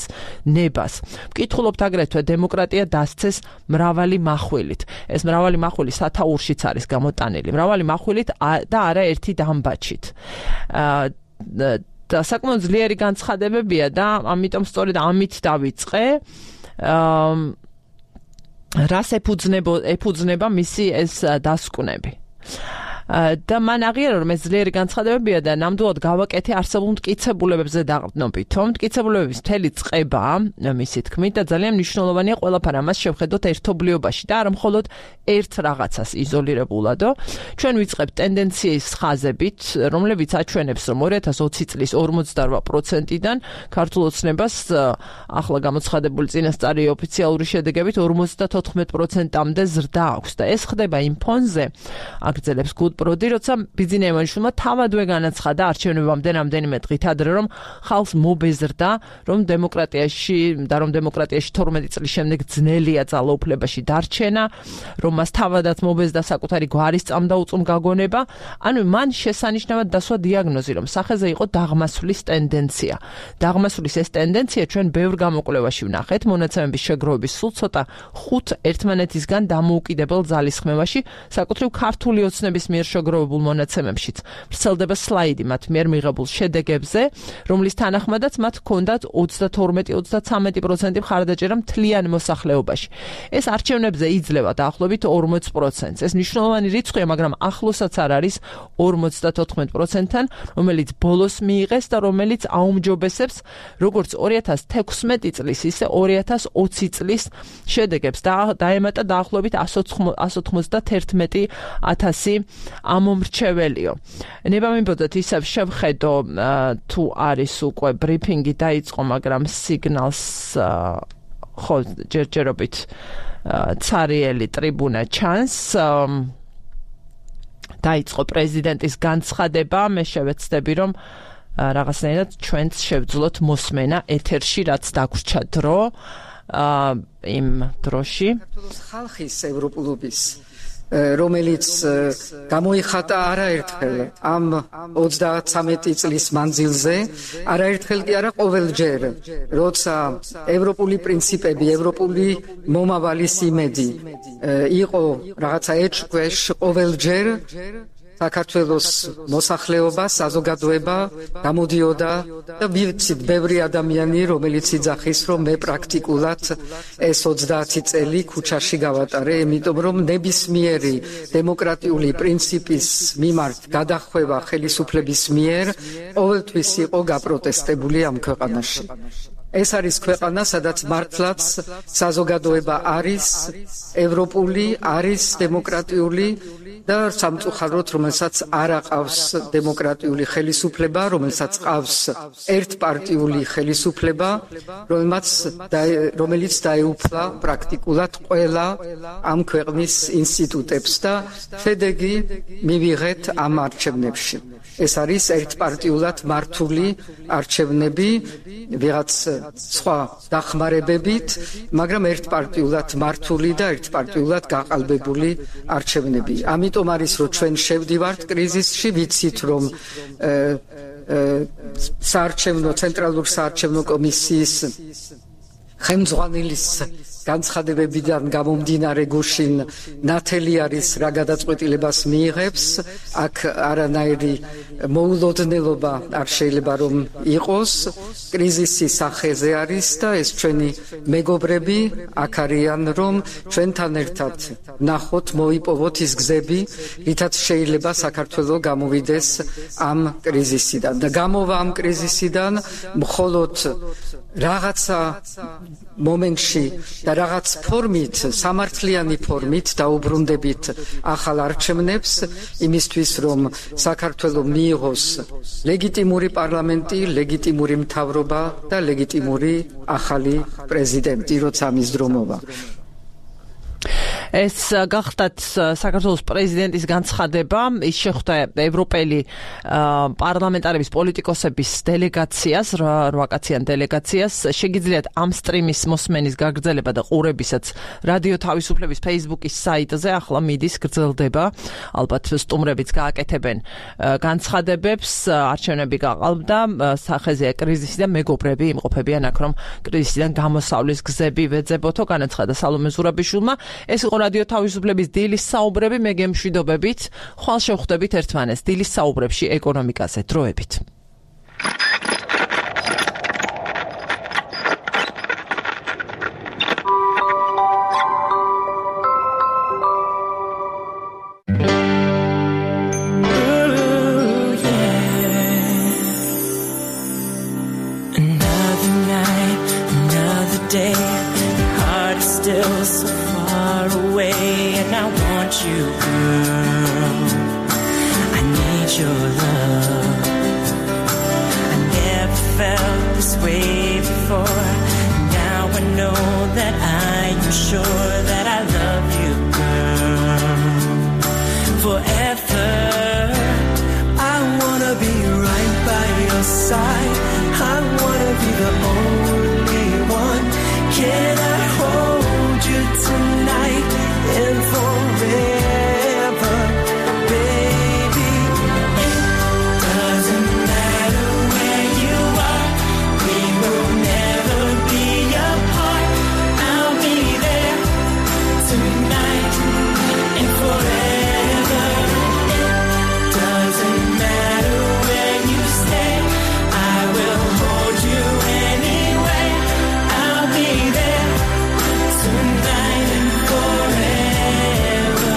ნებას. ვკითხულობთ აგრეთვე დემოკრატია დასცეს მრავალი מחვილით. ეს მრავალი מחვილი სათაურშიც არის გამოტანილი, მრავალი מחვილით და არა ერთი დამბაჩით. და საკმაოდ ძლიერი განცხადებებია და ამიტომ სწორედ ამით დავიწყე. რას ეფუძნება მისი ეს დასკვნები. და მან აღიარა, რომ ეს ძლიერი განცხადებებია და ნამდვილად გავაკეთე არსებულ მტკიცებულებებზე დაყრდნობით. თუმცა მტკიცებულებების მთელი წყება, მისი თქმით, და ძალიან მნიშვნელოვანია ყველაფერი ამას შევხედოთ ერთობლიობაში და არა მხოლოდ ერთ რაღაცას იზოლირებულადო. ჩვენ ვიწყებთ ტენდენციის ხაზებით, რომლებიც აჩვენებს, რომ ორი ათას ოცი წლის ორმოცდარვა პროცენტიდან ქართულ ოცნებას ახლა გამოცხადებული წინასწარი ოფიციალური შედეგებით ორმოცდათოთხმეტ პროცენტამდე ზრდა აქვს და ეს ხდება იმ ფონზე, აგრძელებს პროდი, როცა ბიძინა ივანიშვილმა თავადვე განაცხადა არჩევნებამდე რამდენიმე დღით ადრე, რომ ხალხს მობეზრდა, რომ დემოკრატიაში და რომ დემოკრატიაში თორმეტი წლის შემდეგ ძნელია ძალაუფლებაში დარჩენა, რომ მას თავადაც მობეზრდა საკუთარი გვარის წამდაუწუმ გაგონება. ანუ მან შესანიშნავად დასვა დიაგნოზი, რომ სახეზე იყო დაღმასვლის ტენდენცია. დაღმასვლის ეს ტენდენცია ჩვენ ბევრ გამოკვლევაში ვნახეთ, მონაცემების შეგროვების სულ ცოტა ხუთ ერთმანეთისგან დამოუკიდებელ ძალისხმევაში, საკუთრივ ქართული ოცნების მიერ შეგროვებულ მონაცემებშიც ვრცელდება სლაიდი მათ მიერ მიღებულ შედეგებზე, რომლის თანახმადაც მათ ჰქონდათ ოცდათორმეტი ოცდაცამეტი პროცენტი მხარდაჭერა მთლიან მოსახლეობაში. ეს არჩევნებზე იძლევა დაახლოებით ორმოც პროცენტს. ეს მნიშვნელოვანი რიცხვია, მაგრამ ახლოსაც არ არის ორმოცდათოთხმეტ პროცენტთან, რომელიც ბოლოს მიიღეს და რომელიც აუმჯობესებს როგორც ორი ათას თექვსმეტი წლის, ისე ორი ათას ოცი წლის შედეგებს და დაემატა დაახლოებით εκατს ოცდაათერთმეტი ათასი ამომრჩეველიო. ნება მიბოდოთ ისევ შევხედო თუ არის უკვე ბრიფინგი დაიწყო, მაგრამ სიგნალს ხო ჯერჯერობით ცარიელი ტრიბუნა ჩანს. დაიწყო პრეზიდენტის განცხადება, მე შევეცდები, რომ რაღაცნაირად ჩვენც შევძლოთ მოსმენა ეთერში, რაც დაგვრჩა დრო იმ დროში. საქართველოს ხალხის ევროპულობის რომელიც გამოიხატა არაერთხელ ამ ოცდაცამეტი წლის მანძილზე, არაერთხელ კი არა ყოველჯერ, როცა ევროპული პრინციპები, ევროპული მომავალის იმედი იყო რაღაცა ეჭვქვეშ, ყოველჯერ საქართველოს მოსახლეობა, საზოგადოება გამოდიოდა და ვიცით ბევრი ადამიანი, რომელიც იძახის, რომ მე პრაქტიკულად ეს ოცდაათი წელი ქუჩაში გავატარე, იმიტომ რომ ნებისმიერი დემოკრატიული პრინციპის მიმართ გადახვევა ხელისუფლების მიერ ყოველთვის იყო გაპროტესტებული ამ ქვეყანაში. ეს არის ქვეყანა, სადაც მართლაც საზოგადოება არის ევროპული, არის დემოკრატიული და სამწუხაროდ რომელსაც არ აყავს დემოკრატიული ხელისუფლება, რომელსაც ყავს ერთპარტიული ხელისუფლება, რომელსაც რომელიც დაეუფლა პრაქტიკულად ყველა ამ ქვეყნის ინსტიტუტებს და შედეგი მივიღეთ ამ არჩევნებში. ეს არის ერთპარტიულად მართული არჩევნები, ვიღაც სხვა დახმარებებით, მაგრამ ერთპარტიულად მართული და ერთპარტიულად გაყალბებული არჩევნები. ამიტომ არის რომ ჩვენ შევდივართ კრიზისში, ვიცით რომ საარჩევნო ცენტრალურ საარჩევნო კომისიის ხელმძღვანელის განცხადებებიდან გამომდინარე გუშინ ნათელი არის რა გადაწყვეტილებას მიიღებს, აქ არანაირი მოულოდნელობა არ შეიძლება რომ იყოს, კრიზისი სახეზე არის და ეს ჩვენი მეგობრები აქ არიან რომ ჩვენთან ერთად ნახოთ, მოიპოვოთ ის გზები, რითაც შეიძლება საქართველო გამოვიდეს ამ კრიზისიდან და გამოვა ამ კრიზისიდან მხოლოდ რაღაცა მომენტში და რაღაც ფორმით, სამართლიანი ფორმით დაუბრუნდებით ახალ არჩევნებს იმისთვის, რომ საქართველო მიიღოს ლეგიტიმური პარლამენტი, ლეგიტიმური მთავრობა და ლეგიტიმური ახალი პრეზიდენტი, როცა ამის დრო მოვა. ეს გახდათ საქართველოს პრეზიდენტის განცხადება, ის შეხვდა ევროპელი პარლამენტარების პოლიტიკოსების დელეგაციას, რვაკაციან დელეგაციას. შეგიძლიათ ამ სტრიმის მოსმენის გაგრძელება და ყურებისაც რადიო თავისუფლების Facebook-ის საიტზე ახლა მიდის, გრძელდება. ალბათ სტუმრებიც გააკეთებენ განცხადებებს, არჩევნები გაყალბდა, სახეზეა კრიზისი და მეგობრები იმყოფებიან აქ, რომ კრიზისიდან გამოსავლის გზები ვეძებოთო, განაცხადა სალომე ზურაბიშვილმა. ეს იყო რადიო თავისუფლების დილის საუბრები, მე გემშვიდობებით, ხვალ შევხვდებით ერთმანეთს დილის საუბრებში ეკონომიკაზე დროებით. You, girl, I need your love. I never felt this way before. Now I know that I am sure that I love you, girl, forever. I wanna be right by your side. I wanna be the only one. Can I hold you tonight and forever, baby? It doesn't matter where you are, we will never be apart. I'll be there tonight and forever. It doesn't matter where you stay, I will hold you anyway. I'll be there tonight and forever.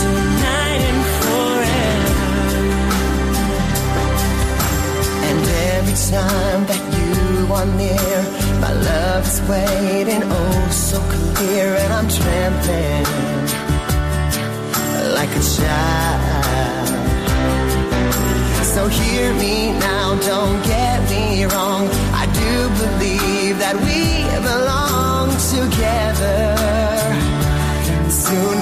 Tonight and forever. And every time that you are near, my love is waiting, oh so clear, and I'm trembling like a child. So hear me now, don't get me wrong, I do believe that we belong together. Soon